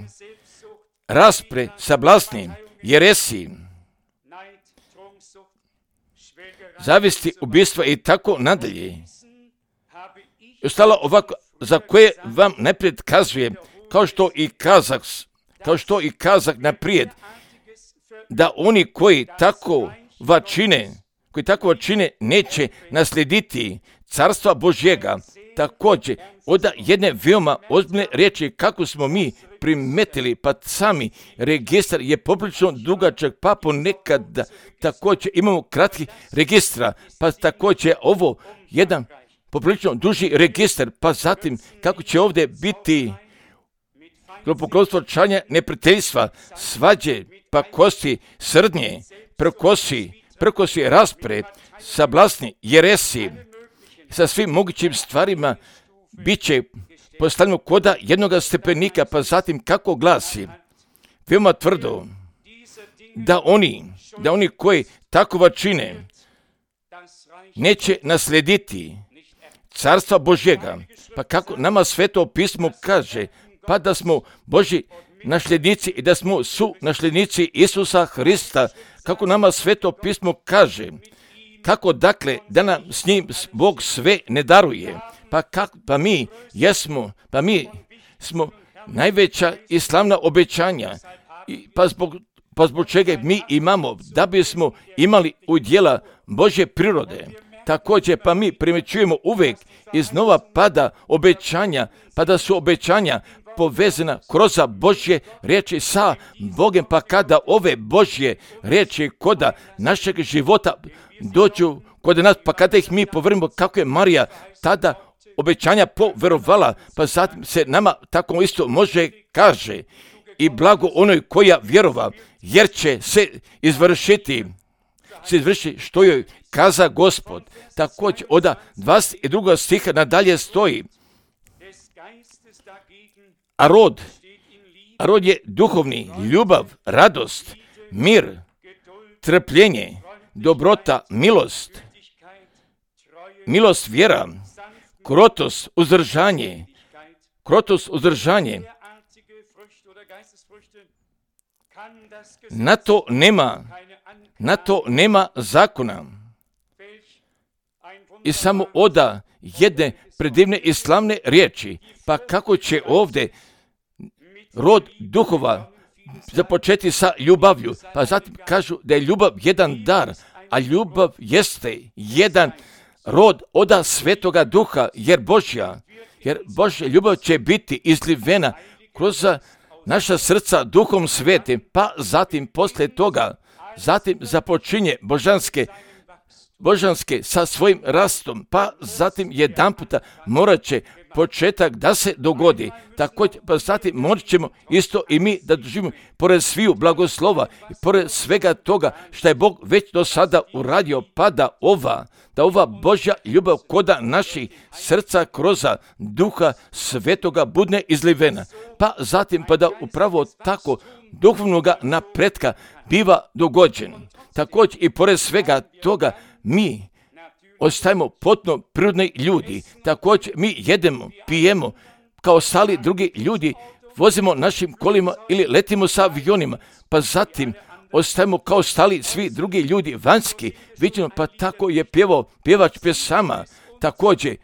raspre, sablasni, jeresi, zavisti, ubistva i tako nadalje. I ostalo ovako, za koje vam naprijed kazujem, kao što i kazak, kao što i kazak naprijed, da oni koji tako čine, koji tako čine, neće naslijediti carstva Božjega. Također, od jedne veoma ozbiljne riječi, kako smo mi primetili, pa sami registar je poprilično dugačak, pa ponekad također imamo kratki registra, pa također ovo jedan poprilično duži registar, pa zatim kako će ovdje biti idolopoklonstvo, čaranja, neprijateljstva, svađe, pakosti, srdnje, prkosi, prkosi, raspre, sablasni, jeresi, sa svim mogućim stvarima bit će postavljeno koda jednoga stepenika, pa zatim kako glasi, veoma tvrdo, da oni, da oni koji tako čine, neće naslijediti carstva Božjega. Pa kako nama Sveto pismo kaže, pa da smo Božji nasljednici i da smo su nasljednici Isusa Hrista, kako nama Sveto pismo kaže, kako dakle da nam s njim Bog sve ne daruje, pa, kak, pa mi jesmo, pa mi smo najveća i slavna obećanja, i pa, zbog, pa zbog čega mi imamo, da bismo imali udjela Božje prirode. Također pa mi primjećujemo uvijek iznova pada obećanja, pa da su obećanja povezana kroz Božje riječi sa Bogem, pa kada ove Božje riječi kod našeg života dođu kod nas, pa kada ih mi povrnemo kako je Marija tada obećanja poverovala, pa zatim se nama tako isto može kaže i blago onoj koja vjerova, jer će se izvršiti, se izvrši što joj kaza Gospod. Također od dvadeset drugog stiha nadalje stoji, a rod, a rod je duhovni, ljubav, radost, mir, trpljenje, dobrota, milost, milost, vjera, krotost, uzdržanje, krotost, uzdržanje. Na to nema, na to nema zakona. I samo oda jedne predivne i slavne riječi, pa kako će ovdje rod duhova započeti sa ljubavlju, pa zatim kažu da je ljubav jedan dar, a ljubav jeste jedan rod oda Svetoga Duha, jer Božja, jer Božja ljubav će biti izlivena kroz naša srca Duhom Svetim, pa zatim poslije toga, zatim započinje božanske, božanske sa svojim rastom, pa zatim jedan puta morat će početak da se dogodi. Također, pa zatim morat ćemo isto i mi da doživimo, pored sviju blagoslova i pored svega toga što je Bog već do sada uradio, pa da ova, da ova Božja ljubav koda naših srca kroz Duha Svetoga budne izlivena. Pa zatim, pa da upravo tako duhovnoga napretka biva dogođen. Također i pored svega toga mi ostajemo potpuno prirodni ljudi. Također mi jedemo, pijemo kao stali drugi ljudi, vozimo našim kolima ili letimo sa avionima, pa zatim ostajemo kao stali svi drugi ljudi vanjski, vidimo, pa tako je pjevao pjevač pjesama. Također,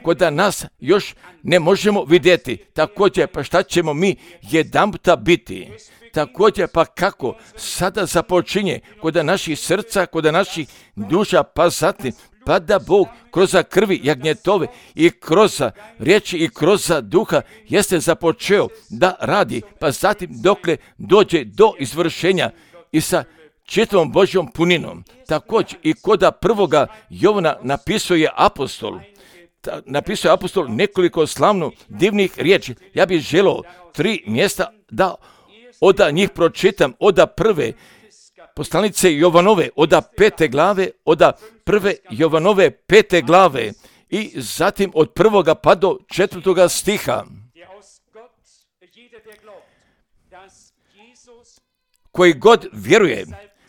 kod nas još ne možemo vidjeti, također, pa šta ćemo mi jedanputa biti? Također, pa kako sada započinje kod naših srca, kod naših duša, pa zatim, pa da Bog kroz krvi jagnjetove i kroz riječi i kroz duha jeste započeo da radi, pa zatim dokle dođe do izvršenja i sa čitavom Božjom puninom. Također i kod prvoga Jovana napisuje apostol, napisuje apostol nekoliko slavno divnih riječi. Ja bih želio tri mjesta da od njih pročitam, od prve poslanice Jovanove, od pete glave, od prve Jovanove pete glave i zatim od prvoga pa do četvrtoga stiha. Koji god vjeruje,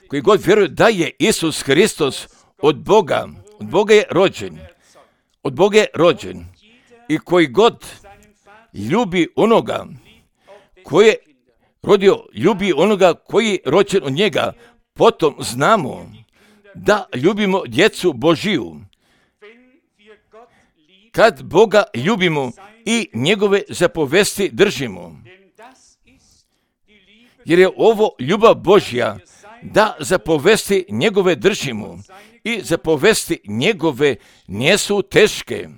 koji god vjeruje da je Isus Hristos od Boga, od Boga je rođen, od Boga je rođen i koji god ljubi onoga koji je rodio, ljubi onoga koji je rođen od njega, potom znamo da ljubimo djecu Božiju. Kad Boga ljubimo i njegove zapovesti držimo. Jer je ovo ljubav Božja, da zapovesti njegove držimo i zapovesti njegove nisu teške.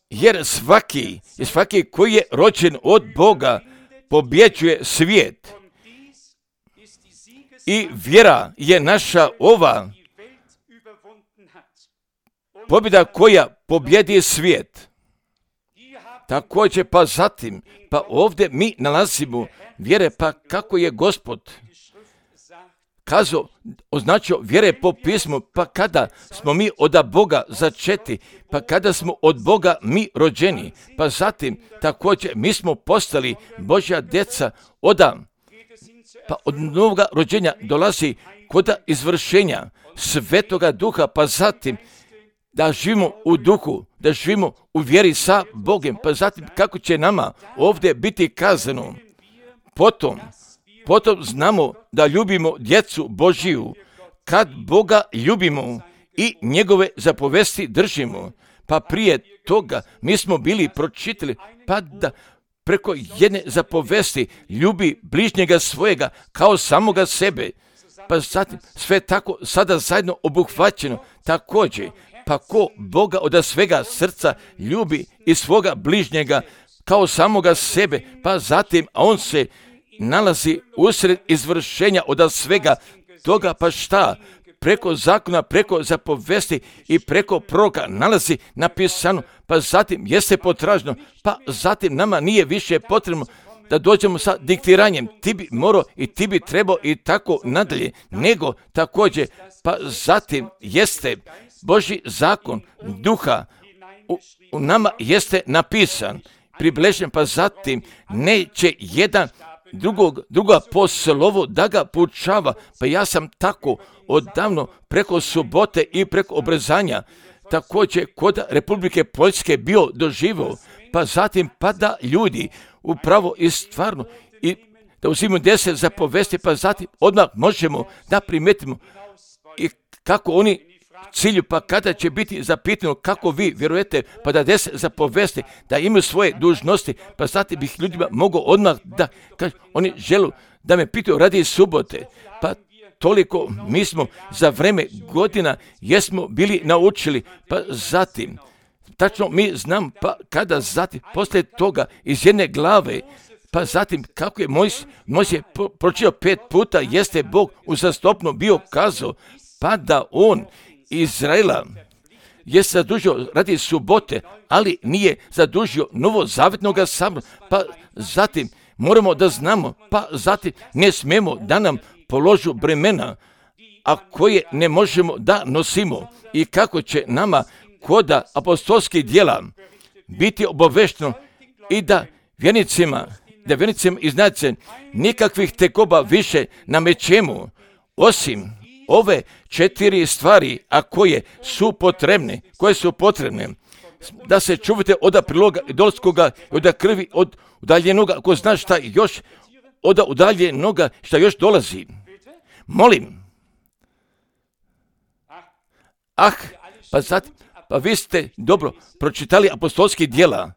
Jer svaki, svaki koji je rođen od Boga pobjeđuje svijet. I vjera je naša ova pobjeda koja pobjedi svijet. Također pa zatim, pa ovdje mi nalazimo vjere, pa kako je Gospod kazao, označio vjere po pismu, pa kada smo mi od Boga začeti, pa kada smo od Boga mi rođeni, pa zatim također mi smo postali Božja djeca od pa od novoga rođenja dolazi kod izvršenja Svetoga Duha, pa zatim da živimo u duhu, da živimo u vjeri sa Bogom, pa zatim kako će nama ovdje biti kazano. Potom, potom znamo da ljubimo djecu Božiju, kad Boga ljubimo i njegove zapovesti držimo. Pa prije toga mi smo bili pročitali, pa da preko jedne zapovesti ljubi bližnjega svojega kao samoga sebe. Pa zatim sve tako sada zajedno obuhvaćeno. Također, pa ko Boga od svega srca ljubi i svoga bližnjega kao samoga sebe, pa zatim a on se nalazi usred izvršenja od svega toga, pa šta? Preko zakona, preko zapovesti i preko proroka nalazi napisano, pa zatim jeste potražno, pa zatim nama nije više potrebno da dođemo sa diktiranjem, ti bi morao i ti bi trebao i tako nadalje, nego također, pa zatim jeste Božji zakon duha u, u nama jeste napisan, približen, pa zatim neće jedan drugog, druga po slovu da ga poučava, pa ja sam tako odavno preko subote i preko obrezanja također kod Republike Poljske bio doživio, pa zatim pa da ljudi upravo i stvarno i da uzimaju deset zapovesti, pa zatim odmah možemo da primetimo i kako oni cilju, pa kada će biti zapitano kako vi vjerujete, pa da des zapovesti, da imaju svoje dužnosti, pa zatim bih ljudima mogao odmah da, kaže, oni žele da me pitaju radi subote, pa toliko mi smo za vreme godina jesmo bili naučili, pa zatim, tačno mi znam, pa kada zatim, poslije toga iz jedne glave, pa zatim kako je Mojsije Mojsije pročitao pet puta, jeste Bog uzastopno bio kazao, pa da on Izraela je zadužio radi subote, ali nije zadužio novozavjetnoga sabora, pa zatim moramo da znamo, pa zatim ne smemo da nam položu bremena, a koje ne možemo da nosimo i kako će nama koda apostolskih djela biti obavešteno i da vjernicima, da vjernicima iznače nikakvih tekoba više namećemo, osim ove četiri stvari, a koje su potrebne, koje su potrebne, da se čuvate od priloga idolskoga, od krvi, od udaljenoga, ko zna šta još, od udaljenoga šta još dolazi. Molim. Ah, pa zatim, pa vi ste dobro pročitali apostolskih djela,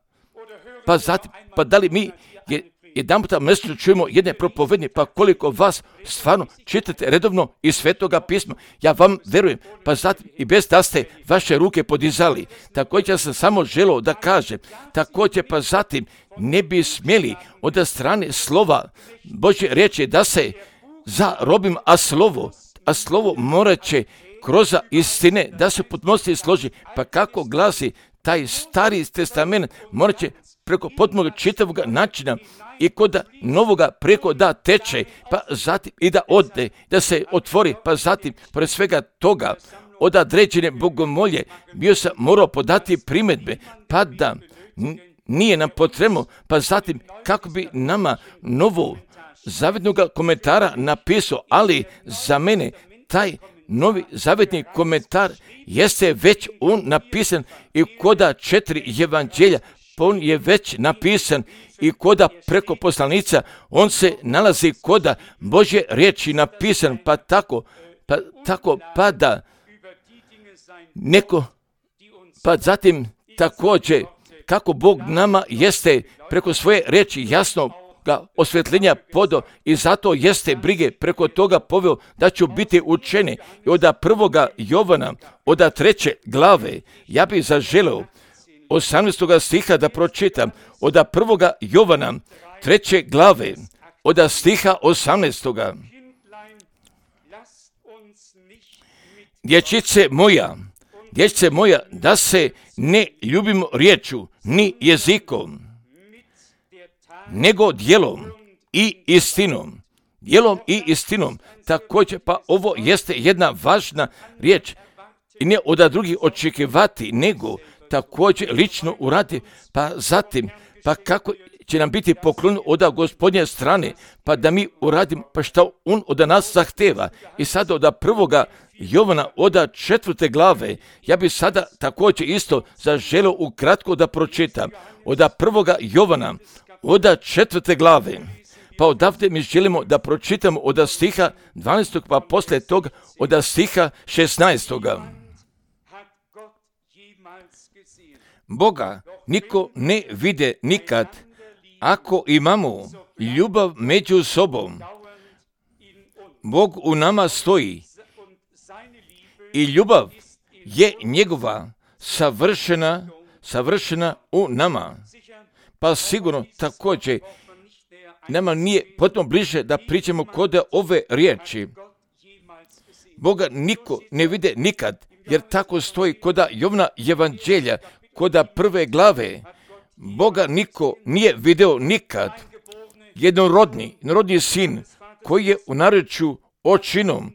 pa zatim, pa da li mi je, jedan puta mjesečno čujemo jedne propovednje, pa koliko vas stvarno čitate redovno iz Svetoga pisma, ja vam verujem, pa zatim i bez da ste vaše ruke podizali. Također sam samo želio da kažem, također pa zatim ne bi smjeli od strane slova Božje riječi da se zarobim, a slovo, a slovo morat će kroz istine da se potpunosti složi, pa kako glasi taj stari testament morat će preko potpunog čitavog načina i kod novoga preko da teče, pa zatim i da ode, da se otvori, pa zatim pored svega toga od određene bogomolje bio sam morao podati primjedbe, pa da nije nam potrebno, pa zatim kako bi nama novo zavjetnog komentara napisao, ali za mene taj novi zavjetni komentar jeste već on napisan i koda četiri evanđelja, on je već napisan i koda preko poslanica, on se nalazi koda Božje riječi napisan, pa tako, pa tako, pa da neko, pa zatim također, kako Bog nama jeste preko svoje riječi jasno ga osvjetljenja podo i zato jeste brige preko toga poveo da ću biti učeni. I od prvoga Jovana, od treće glave, ja bih zaželeo osamnaestoga stiha da pročitam, od prvoga Jovana, treće glave, od stiha osamnaestoga. Dječice moja, dječice moja, da se ne ljubimo riječu, ni jezikom, nego djelom i istinom. Djelom i istinom. Također, pa ovo jeste jedna važna riječ. I ne od drugih očekivati, nego također lično uradi, pa zatim, pa kako će nam biti poklon od Gospodnje strane, pa da mi uradimo, pa što on od nas zahteva. I sada od prvoga Jovana, od četvrte glave, ja bi sada također isto zaželio ukratko da pročitam. Od prvoga Jovana, od četvrte glave, pa odavde mi želimo da pročitamo od stiha dvanaestog, pa poslije toga od stiha šesnaestog. Boga niko ne vide nikad, ako imamo ljubav među sobom. Bog u nama stoji i ljubav je njegova savršena, savršena u nama. Pa sigurno također nama nije potpuno bliže da pričamo kod ove riječi. Boga niko ne vide nikad, jer tako stoji kod Jovana evanđelja, kod prve glave. Boga niko nije video nikad. Jednorodni, jednorodni sin koji je u narečju očinom,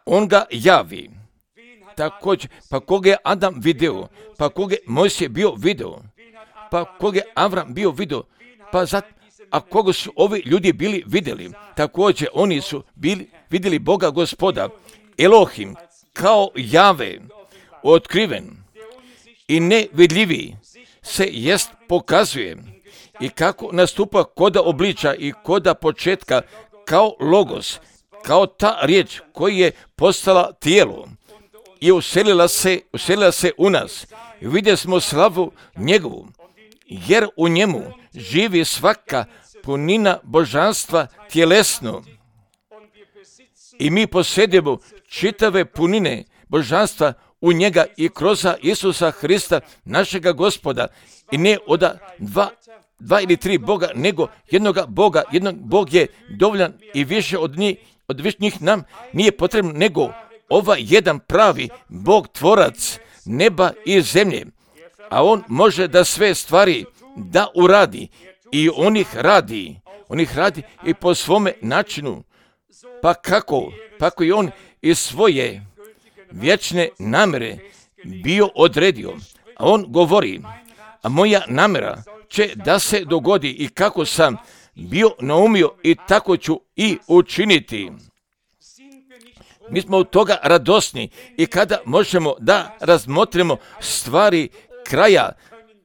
on ga javi. Također, pa koga je Adam video, pa koga je Mojsije bio video, pa koga je Avram bio video, pa zat, a koga su ovi ljudi bili vidjeli. Također, oni su bili vidjeli Boga Gospoda, Elohim, kao Jave, otkriven i nevidljivi se jest pokazuje i kako nastupa koda obliča i koda početka kao logos, kao ta riječ koji je postala tijelo je uselila se, uselila se u nas. Vidjeli smo slavu njegovu, jer u njemu živi svaka punina božanstva tjelesno. I mi posjedujemo čitave punine božanstva u njega i kroz Isusa Hrista, našega Gospoda. I ne od dva, dva ili tri Boga, nego jednoga Boga. Jednog Bog je dovoljan i više od njih, od više njih nam nije potrebno, nego ovaj jedan pravi Bog, tvorac neba i zemlje. A on može da sve stvari da uradi i on ih radi. On ih radi i po svome načinu. Pa kako? Pa kako je on iz svoje vječne namere bio odredio. A on govori, a moja namera će da se dogodi i kako sam bio naumio i tako ću i učiniti. Mi smo od toga radosni i kada možemo da razmotrimo stvari kraja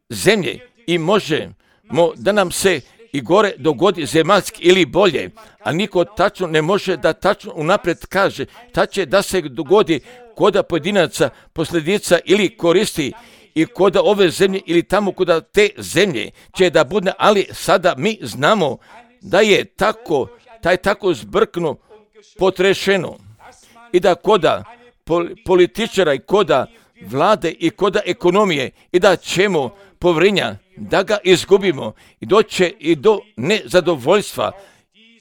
zemlje i možemo da nam se i gore dogodi zemaljski ili bolje, a niko tačno ne može da tačno unaprijed kaže ta će da se dogodi koda pojedinaca, posljedica ili koristi i koda ove zemlje ili tamo koda te zemlje će da bude, ali sada mi znamo da je tako, taj tako zbrkno potrešeno i da koda političara i koda vlade i koda ekonomije i da ćemo povrenja da ga izgubimo i doće i do nezadovoljstva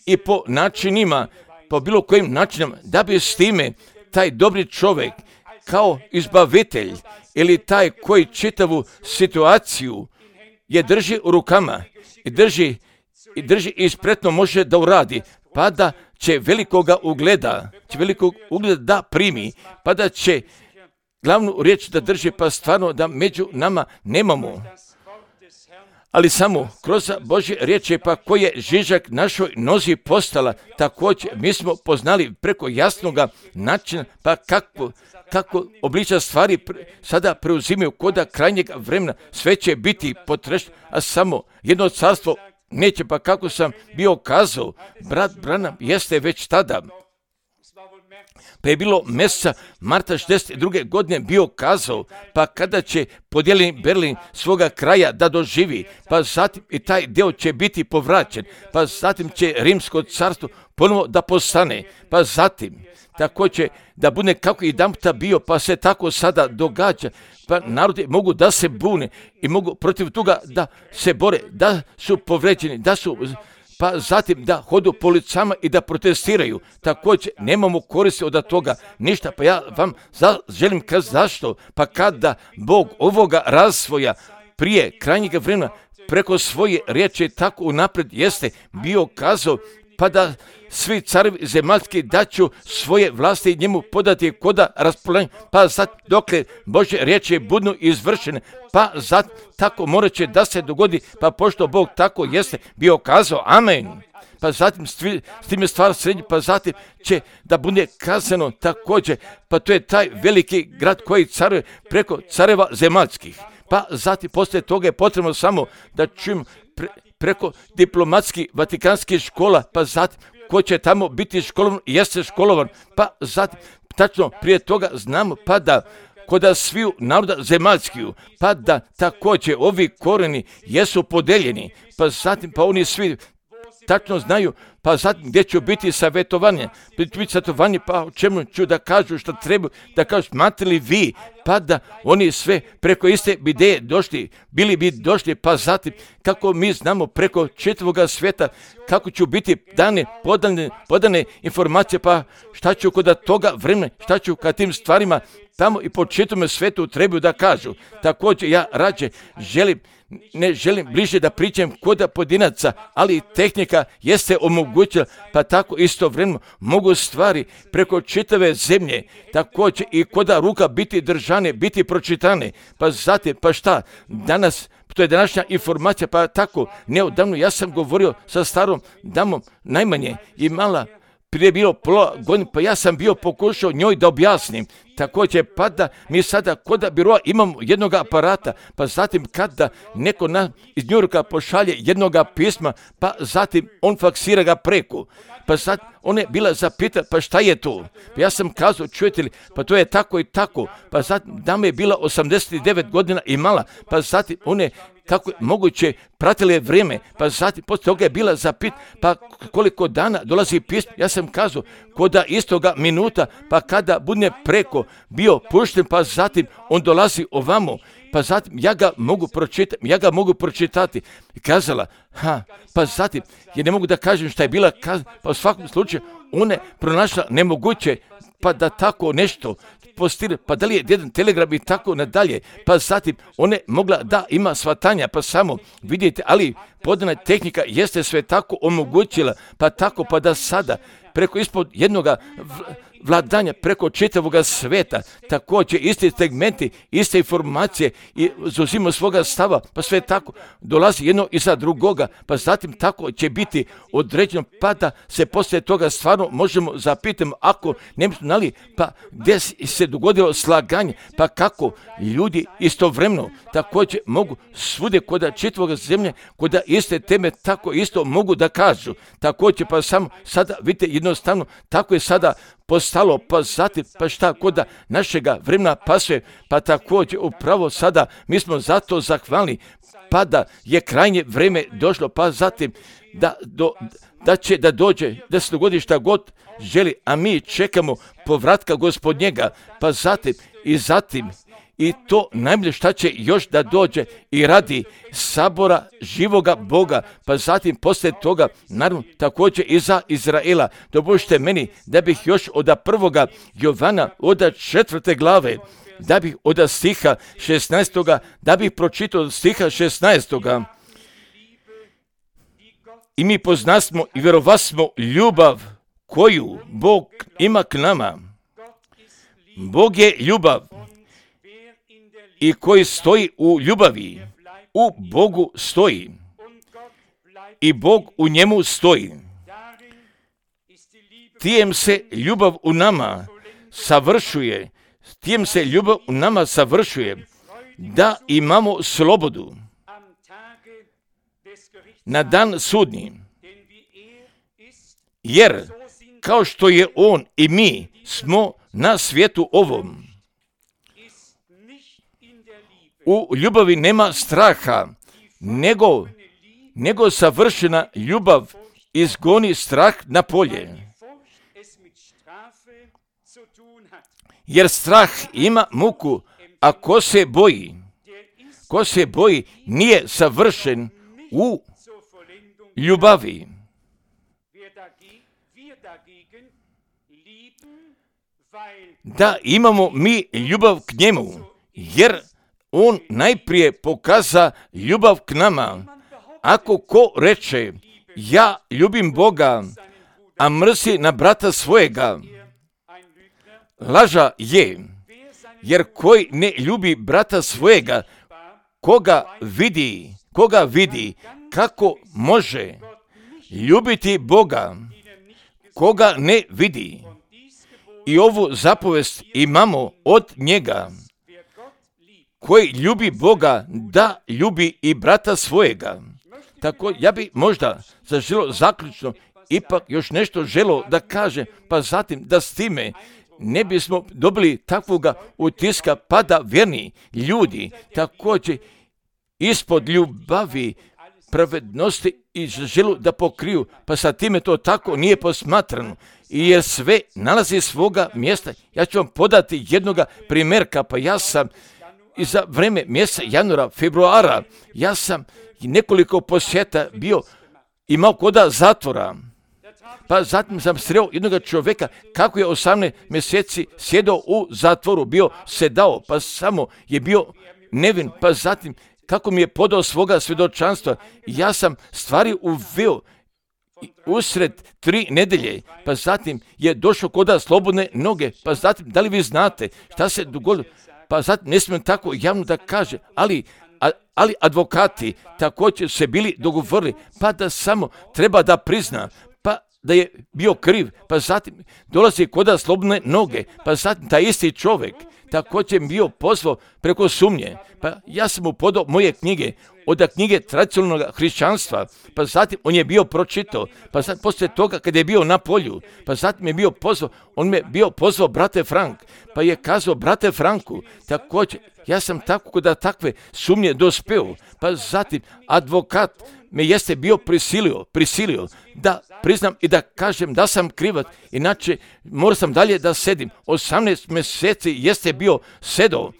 i po načinima, po bilo kojim načinama, da bi s time taj dobri čovjek kao izbavitelj ili taj koji čitavu situaciju je drži u rukama i drži i drži i spretno može da uradi, pa da će velikoga ugleda, će velikog ugleda da primi, pa da će glavnu riječ da drži, pa stvarno da među nama nemamo. Ali samo kroz Božje riječi, pa koje je žižak našoj nozi postala, također mi smo poznali preko jasnoga načina, pa kako, kako obliča stvari pre, sada preuzimaju koda krajnjeg vremena, sve će biti potrešeno, a samo jedno carstvo neće, pa kako sam bio kazao, brat Branham jeste već tada, pa je bilo mjeseca marta šezdeset druge godine bio kazao, pa kada će podijeljeni Berlin svoga kraja da doživi, pa zatim i taj dio će biti povraćen, pa zatim će Rimsko carstvo ponovo da postane, pa zatim tako će da bude kako i damta bio, pa se tako sada događa, pa narodi mogu da se bune i mogu protiv toga da se bore, da su povređeni, da su, pa zatim da hodu po ulicama i da protestiraju. Također nemamo koristi od toga ništa, pa ja vam za, želim kazati zašto, pa kada Bog ovoga razvoja prije krajnjeg vremena preko svoje riječi tako unaprijed jeste bio kazao, pa da svi carevi zemaljski daću svoje vlasti njemu podati koda raspoljenja, pa sad dokle Božje riječi budu izvršene, pa sad tako morat će da se dogodi, pa pošto Bog tako jeste bio kazao, amen. Pa zatim s tim je stvar srednji, pa zatim će da bude kazano također, pa to je taj veliki grad koji caruje preko careva zemaljskih. Pa zatim poslije toga je potrebno samo da čujemo pre, preko diplomatskih vatikanskih škola, pa zatim ko će tamo biti školovan, jeste školovan, pa zatim tačno prije toga znamo pa da koda sviju naroda zemaljskiju, pa da također ovi koreni jesu podeljeni, pa zatim pa oni svi tačno znaju, pa zatim gdje ću biti savjetovanje, biti savjetovanje, pa o čemu ću da kažu što treba, da kažu smatrate li vi, pa da oni sve preko iste ideje došli, bili bi došli, pa zatim kako mi znamo preko čitavoga svijeta, kako ću biti dane, podane, podane informacije, pa šta ću kod toga vremena, šta ću kad tim stvarima tamo i po čitavom svijetu trebaju da kažu. Također ja rađe želim, ne želim bliže da pričam koda pojedinaca, ali tehnika jeste omogućila, pa tako istovremeno mogu stvari preko čitave zemlje, također i koda ruka biti držane, biti pročitane, pa zatim, pa šta, danas, to je današnja informacija, pa tako, neodavno ja sam govorio sa starom damom, najmanje imala prije bilo pola godine, pa ja sam bio pokušao njoj da objasnim također pa da mi sada kod biroa imamo jednog aparata, pa zatim kada neko na, iz New Yorka pošalje jednog pisma, pa zatim on faksira ga preko. Pa sad ona je bila zapita, pa šta je to? Pa ja sam kazao, čujete li, pa to je tako i tako. Pa zatim dama je bila osamdeset devet godina i mala, pa zatim ona je kako je moguće pratila je vrijeme, pa zatim poslije toga je bila zapit, pa koliko dana dolazi pismo. Ja sam kazao, koda istoga minuta, pa kada bude preko bio pušten, pa zatim on dolazi ovamo, pa zatim ja ga mogu pročitati, ja ga mogu pročitati. I kazala, ha, pa zatim, ja ne mogu da kažem šta je bila kazana, pa u svakom slučaju ona je pronašla nemoguće, pa da tako nešto postire, pa da li je jedan telegram i tako nadalje, pa zatim ona je mogla da ima shvatanja, pa samo vidite, ali podana tehnika jeste sve tako omogućila, pa tako pa da sada preko ispod jednoga vladanja, preko čitavoga sveta, također isti segmenti, iste informacije i zauzimo svoga stava, pa sve tako dolazi jedno iza drugoga, pa zatim tako će biti određeno, pa da se poslije toga stvarno možemo zapitati, ako ne bismo znali, pa gdje se dogodilo slaganje, pa kako ljudi istovremeno također mogu svude kod čitavoga zemlje, kod iste teme tako isto mogu da kažu, također pa samo sada vidite jednostavno, tako je sada postalo, pa zatim, pa šta kod našega vremena pasuje, pa također upravo sada mi smo zato zahvalni, pa da je krajnje vrijeme došlo, pa zatim da, do, da će da dođe, da se dogodi šta god želi, a mi čekamo povratka Gospodnjega, pa zatim i zatim i to najbolje šta će još da dođe i radi sabora živoga Boga, pa zatim poslije toga, naravno, također i za Izraela. Dopustite meni da bih još od prvoga Jovana, od četvrte glave, da bih od stiha šesnaestoga, da bih pročitao od stiha šesnaestoga. I mi poznasmo i vjerovasmo ljubav koju Bog ima k nama. Bog je ljubav. I koji stoji u ljubavi, u Bogu stoji i Bog u njemu stoji. Tijem se ljubav u nama savršuje, tijem se ljubav u nama savršuje, da imamo slobodu na dan sudnji. Jer kao što je on i mi smo na svijetu ovom, u ljubavi nema straha, nego, nego savršena ljubav izgoni strah na polje. Jer strah ima muku, a ko se boji, ko se boji nije savršen u ljubavi. Da imamo mi ljubav k njemu, jer on najprije pokaza ljubav k nama. Ako ko reče, ja ljubim Boga, a mrzi na brata svojega, laža je, jer koji ne ljubi brata svojega, koga vidi, koga vidi, kako može ljubiti Boga, koga ne vidi. I ovu zapovest imamo od njega, koji ljubi Boga, da ljubi i brata svojega. Tako ja bi možda zaželo zaključno ipak još nešto želo da kaže, pa zatim da s time ne bismo dobili takvoga utiska, pa da vjerni ljudi također ispod ljubavi, pravednosti i želu da pokriju, pa sa time to tako nije posmatrano. I jer sve nalazi svoga mjesta. Ja ću vam podati jednoga primjerka, pa ja sam i za vrijeme mjeseca januara, februara, ja sam nekoliko posjeta bio imao koda zatvora. Pa zatim sam sreo jednog čovjeka kako je osamnaest mjeseci sjedao u zatvoru, bio sedao, pa samo je bio nevin, pa zatim kako mi je podao svoga svjedočanstva. Ja sam stvari uveo usred tri nedelje, pa zatim je došao koda slobodne noge, pa zatim, da li vi znate šta se dogodilo? Pa zatim ne smijem tako javno da kaže, ali, a, ali advokati također se bili dogovorili, pa da samo treba da prizna, pa da je bio kriv, pa zatim dolazi kod slobodne noge, pa zatim taj isti čovjek također bio pozvao preko sumnje, pa ja sam mu podao moje knjige, od knjige tradicionalnog hrišćanstva, pa zatim on je bio pročitao, pa zatim poslije toga kad je bio na polju, pa zatim je bio pozvao, on me bio pozvao brate Frank, pa je kazao brate Franku, također ja sam tako kod takve sumnje dospeo, pa zatim advokat me jeste bio prisilio, prisilio da priznam i da kažem da sam krivac, inače morao sam dalje da sedim. osamnaest mjeseci jeste bio sedao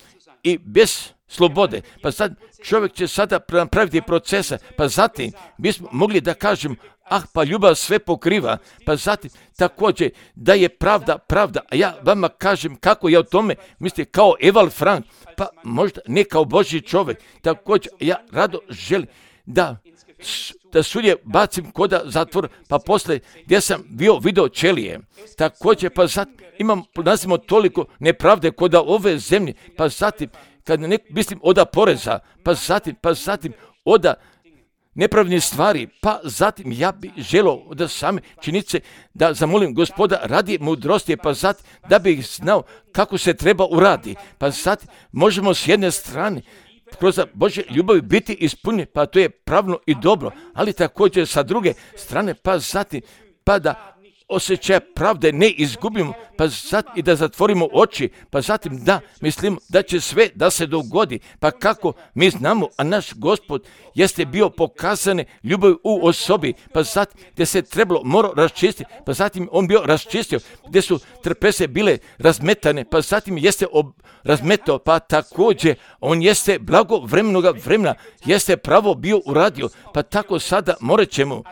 i bez slobode, pa sad čovjek će sada napraviti procesa, pa zatim bismo mogli da kažem, ah, pa ljubav sve pokriva, pa zatim također da je pravda, pravda, a ja vama kažem kako ja o tome mislim kao Eval Frank, pa možda ne kao Božji čovjek, također ja rado želim da da sudje bacim koda zatvor, pa poslije gdje sam bio video ćelije, također pa zatim imam, nazimo toliko nepravde koda ove zemlje, pa zatim kad ne mislim oda poreza, pa zatim, pa zatim oda nepravnih stvari, pa zatim ja bi želio da same činice da zamolim Gospoda radi mudrosti, pa zatim da bi znao kako se treba uradi, pa zatim možemo s jedne strane kroz Božje ljubavi biti ispunjeni, pa to je pravno i dobro, ali također sa druge strane, pa zatim pa da osjećaj pravde ne izgubimo, pa zatim i da zatvorimo oči, pa zatim da mislimo da će sve da se dogodi, pa kako mi znamo, a naš Gospod jeste bio pokazane ljubav u osobi, pa zatim gdje se trebalo moro raščistiti, pa zatim on bio raščistio, gdje su trpeze bile razmetane, pa zatim jeste ob, razmetao, pa također on jeste blago vremenoga vremena, jeste pravo bio uradio, pa tako sada morat ćemo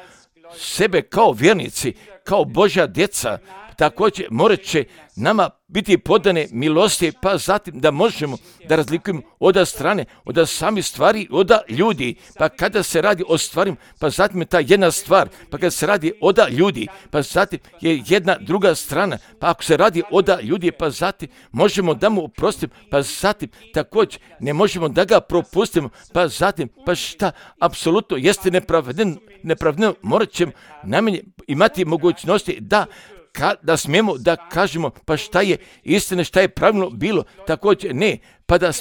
sebe kao vjernici, kao Božja djeca, također morat će nama biti podane milosti, pa zatim da možemo da razlikujemo od strane, od samih stvari, od ljudi, pa kada se radi o stvarima, pa zatim je ta jedna stvar, pa kada se radi od ljudi, pa zatim je jedna druga strana, pa ako se radi od ljudi, pa zatim možemo da mu oprostimo, pa zatim također ne možemo da ga propustimo, pa zatim, pa šta, apsolutno jeste nepravedno, nepravedno, morat ćemo najmanje imati mogućnosti da Ka, da smijemo da kažemo pa šta je istina, šta je pravilno bilo, također ne, pa da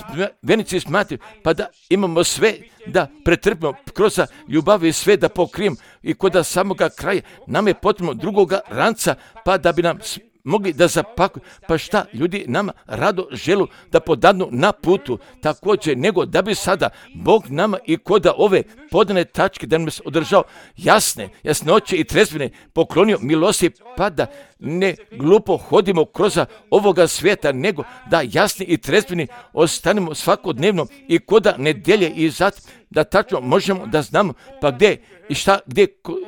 vjernici smatraju, pa da imamo sve da pretrpimo kroz ljubav i sve da pokrijemo i kod samoga kraja nam je potrebno drugoga ranca, pa da bi nam mogli da zapakuju, pa šta ljudi nama rado želu da podadnu na putu, također nego da bi sada Bog nama i koda ove podane tačke da nam se održao jasne, jasnoće i trezvine poklonio milosti, pa da ne glupo hodimo kroz ovoga svijeta, nego da jasni i trezvini ostanemo svakodnevno i koda nedelje i zatim da tačno možemo da znamo pa gdje i šta, gdje,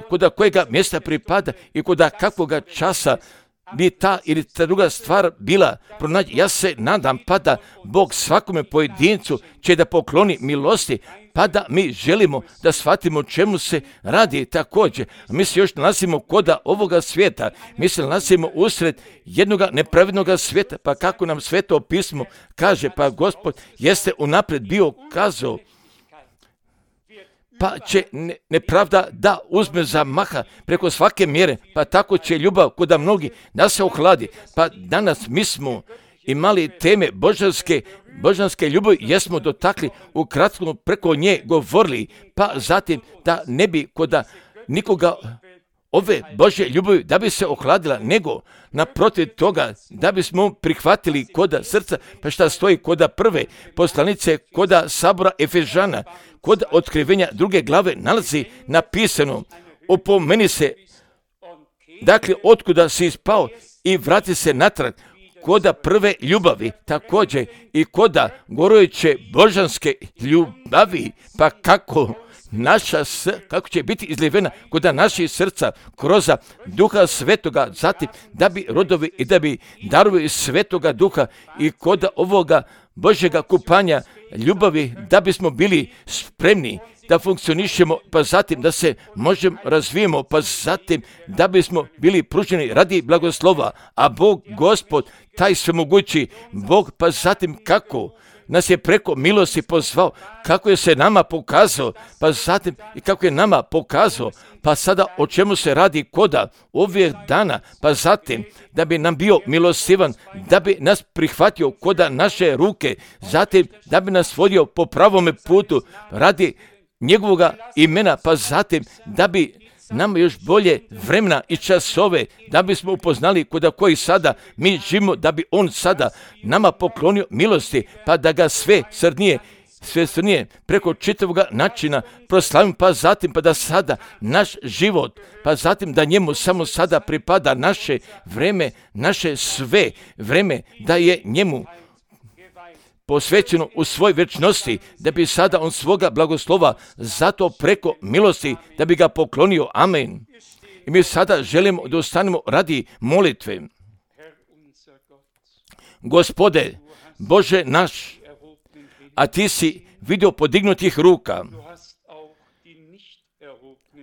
koda kojega mjesta pripada i koda kakvoga časa bi ta ili ta druga stvar bila pronađi. Ja se nadam pa da Bog svakome pojedincu će da pokloni milosti, pa da mi želimo da shvatimo čemu se radi također. Mi se još nalazimo koda ovoga svijeta, mi se nalazimo usred jednoga nepravednog svijeta, pa kako nam Sveto pismo kaže, pa Gospod jeste unaprijed bio kazao, pa će nepravda da uzme za maha preko svake mjere, pa tako će ljubav koda mnogi da se ohladi. Pa danas mi smo imali teme božanske, božanske ljubavi, jesmo dotakli u kratkom preko nje govorili, pa zatim da ne bi koda nikoga ove Božje ljubavi da bi se ohladila, nego naprotiv toga da bismo prihvatili koda srca, pa šta stoji koda prve poslanice, koda sabora Efežana, kod otkrivenja druge glave nalazi napisano, opomeni se, dakle, otkuda si ispao i vrati se natrag, koda prve ljubavi, također i koda gorujuće božanske ljubavi, pa kako naša, kako će biti izljevena koda naših srca kroz Duha Svetoga, zatim da bi rodovi i da bi darovi Svetoga Duha i koda ovoga Božjega kupanja ljubavi, da bismo bili spremni da funkcionišemo, pa zatim da se možemo razvijemo, pa zatim da bismo bili pruženi radi blagoslova, a Bog, Gospod, taj svemogući Bog, pa zatim kako nas je preko milosti pozvao, kako je se nama pokazao, pa zatim i kako je nama pokazao, pa sada o čemu se radi koda ovih dana, pa zatim da bi nam bio milostivan, da bi nas prihvatio koda naše ruke, zatim da bi nas vodio po pravome putu radi njegovoga imena, pa zatim da bi nam još bolje vremena i časove, da bismo upoznali koda koji sada mi živimo, da bi on sada nama poklonio milosti, pa da ga sve srnije, sve srnije preko čitavog načina proslavim, pa zatim pa da sada naš život, pa zatim da njemu samo sada pripada naše vreme, naše sve vreme, da je njemu posvećeno u svoj večnosti, da bi sada on svoga blagoslova zato preko milosti, da bi ga poklonio. Amen. I mi sada želimo da ostanemo radi molitve. Gospode, Bože naš, a ti si vidio podignutih ruka,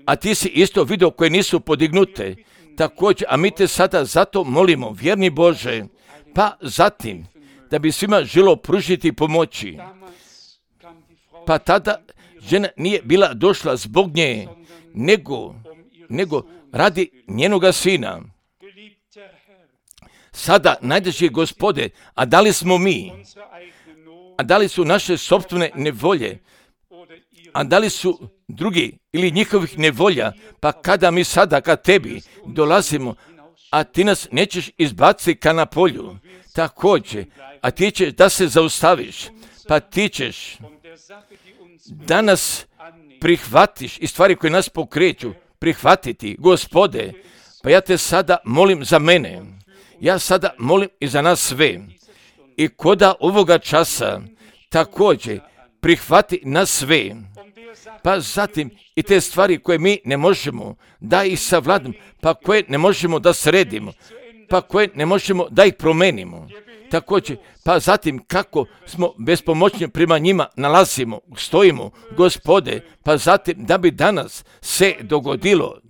a ti si isto vidio koje nisu podignute, također, a mi te sada zato molimo, vjerni Bože, pa zatim, da bi svima želo pružiti pomoći. Pa tada žena nije bila došla zbog nje, nego, nego radi njenoga sina. Sada, najdraži Gospode, a da li smo mi, a da li su naše sopstvene nevolje, a da li su drugi ili njihovih nevolja, pa kada mi sada ka tebi dolazimo, a ti nas nećeš izbaciti ka na polju, također, a ti ćeš da se zaustaviš, pa ti ćeš da nas prihvatiš i stvari koje nas pokreću, prihvatiti, Gospode, pa ja te sada molim za mene, ja sada molim i za nas sve, i koda ovoga časa također prihvati nas sve, pa zatim i te stvari koje mi ne možemo da ih savladimo, pa koje ne možemo da sredimo, pa koje ne možemo da ih promenimo. Također, pa zatim kako smo bespomoćni prema njima nalazimo, stojimo, Gospode, pa zatim da bi danas se dogodilo,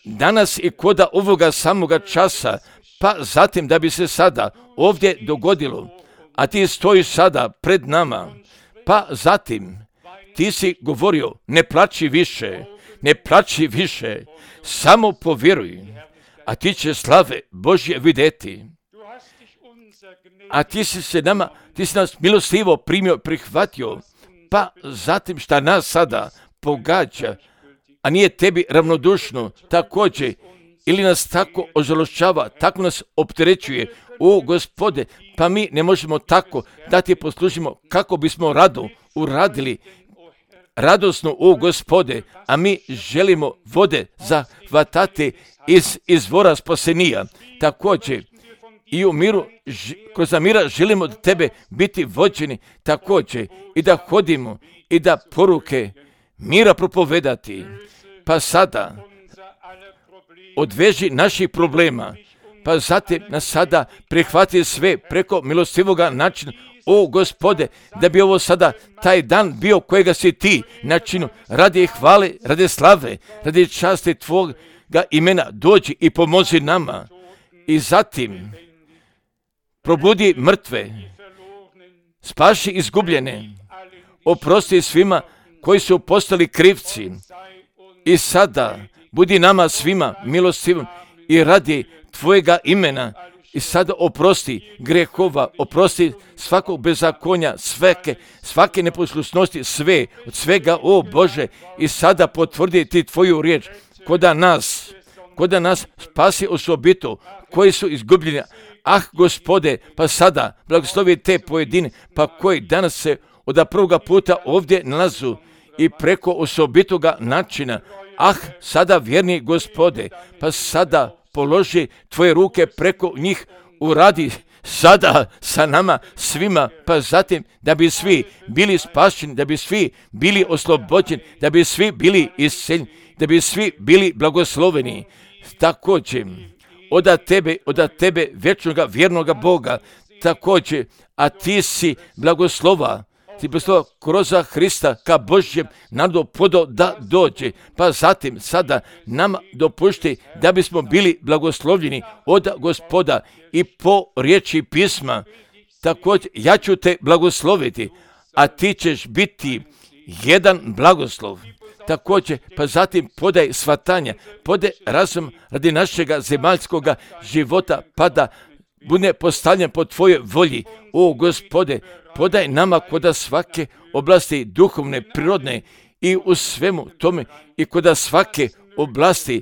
danas i koda ovoga samoga časa, pa zatim da bi se sada ovdje dogodilo, a ti stojiš sada pred nama, pa zatim ti si govorio, ne plači više, ne plači više, samo povjeruj, a ti će slave Božje vidjeti. A ti si se nama, ti si nas milostivo primio, prihvatio, pa zatim šta nas sada pogađa, a nije tebi ravnodušno, također, ili nas tako ožalošćava, tako nas opterećuje, o Gospode, pa mi ne možemo tako da ti poslužimo kako bismo rado uradili, radosno, o Gospode, a mi želimo vode zahvatati iz izvora spasenija, također, i u miru, kroz mira želimo da tebe biti vođeni također i da hodimo i da poruke mira propovedati. Pa sada odveži naših problema, pa zatim nas sada prihvati sve preko milostivoga načina. O Gospode, da bi ovo sada taj dan bio kojega si ti načinu, radi hvale, radi slave, radi časti tvoga imena, dođi i pomozi nama. I zatim probudi mrtve, spaši izgubljene, oprosti svima koji su postali krivci. I sada budi nama svima milostivan i radi tvojega imena. I sada oprosti grehova, oprosti svakog bezakonja, svake, svake neposlušnosti, sve, od svega, o Bože, i sada potvrdi ti tvoju riječ, koda nas, koda nas spasi osobito, koji su izgubljeni. Ah, Gospode, pa sada blagoslovi te pojedine, pa koji danas se od prvoga puta ovdje nalazu i preko osobitoga načina. Ah, sada vjerni Gospode, pa sada položi tvoje ruke preko njih, uradi sada sa nama svima, pa zatim da bi svi bili spašeni, da bi svi bili oslobođeni, da bi svi bili isceljeni, da bi svi bili blagosloveni. Također, od tebe, od tebe vječnoga vjernoga Boga, također, a ti si blagoslova, ti blagoslova kroz Hrista ka Božjem narodu podo da dođe, pa zatim sada nam dopušti da bismo bili blagoslovljeni od Gospoda i po riječi pisma, također ja ću te blagosloviti, a ti ćeš biti jedan blagoslov. Također, pa zatim podaj svatanja, podaj razum radi našega zemaljskoga života, pa da bude postavljen po tvojoj volji. O Gospode, podaj nama koda svake oblasti duhovne, prirodne i u svemu tome i koda svake oblasti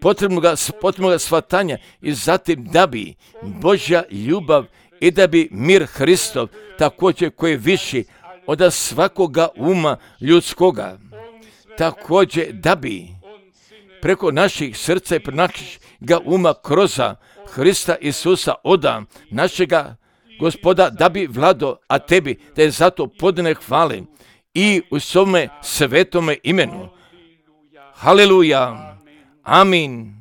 potrebnoga, potrebnoga svatanja i zatim da bi Božja ljubav i da bi mir Hristov također koji je viši od svakoga uma ljudskoga, također da bi preko naših srca i preko našega uma kroz Hrista Isusa oda našega Gospoda da bi vlado, a tebi da je zato podane hvale i u svome svetome imenu. Haleluja. Amin.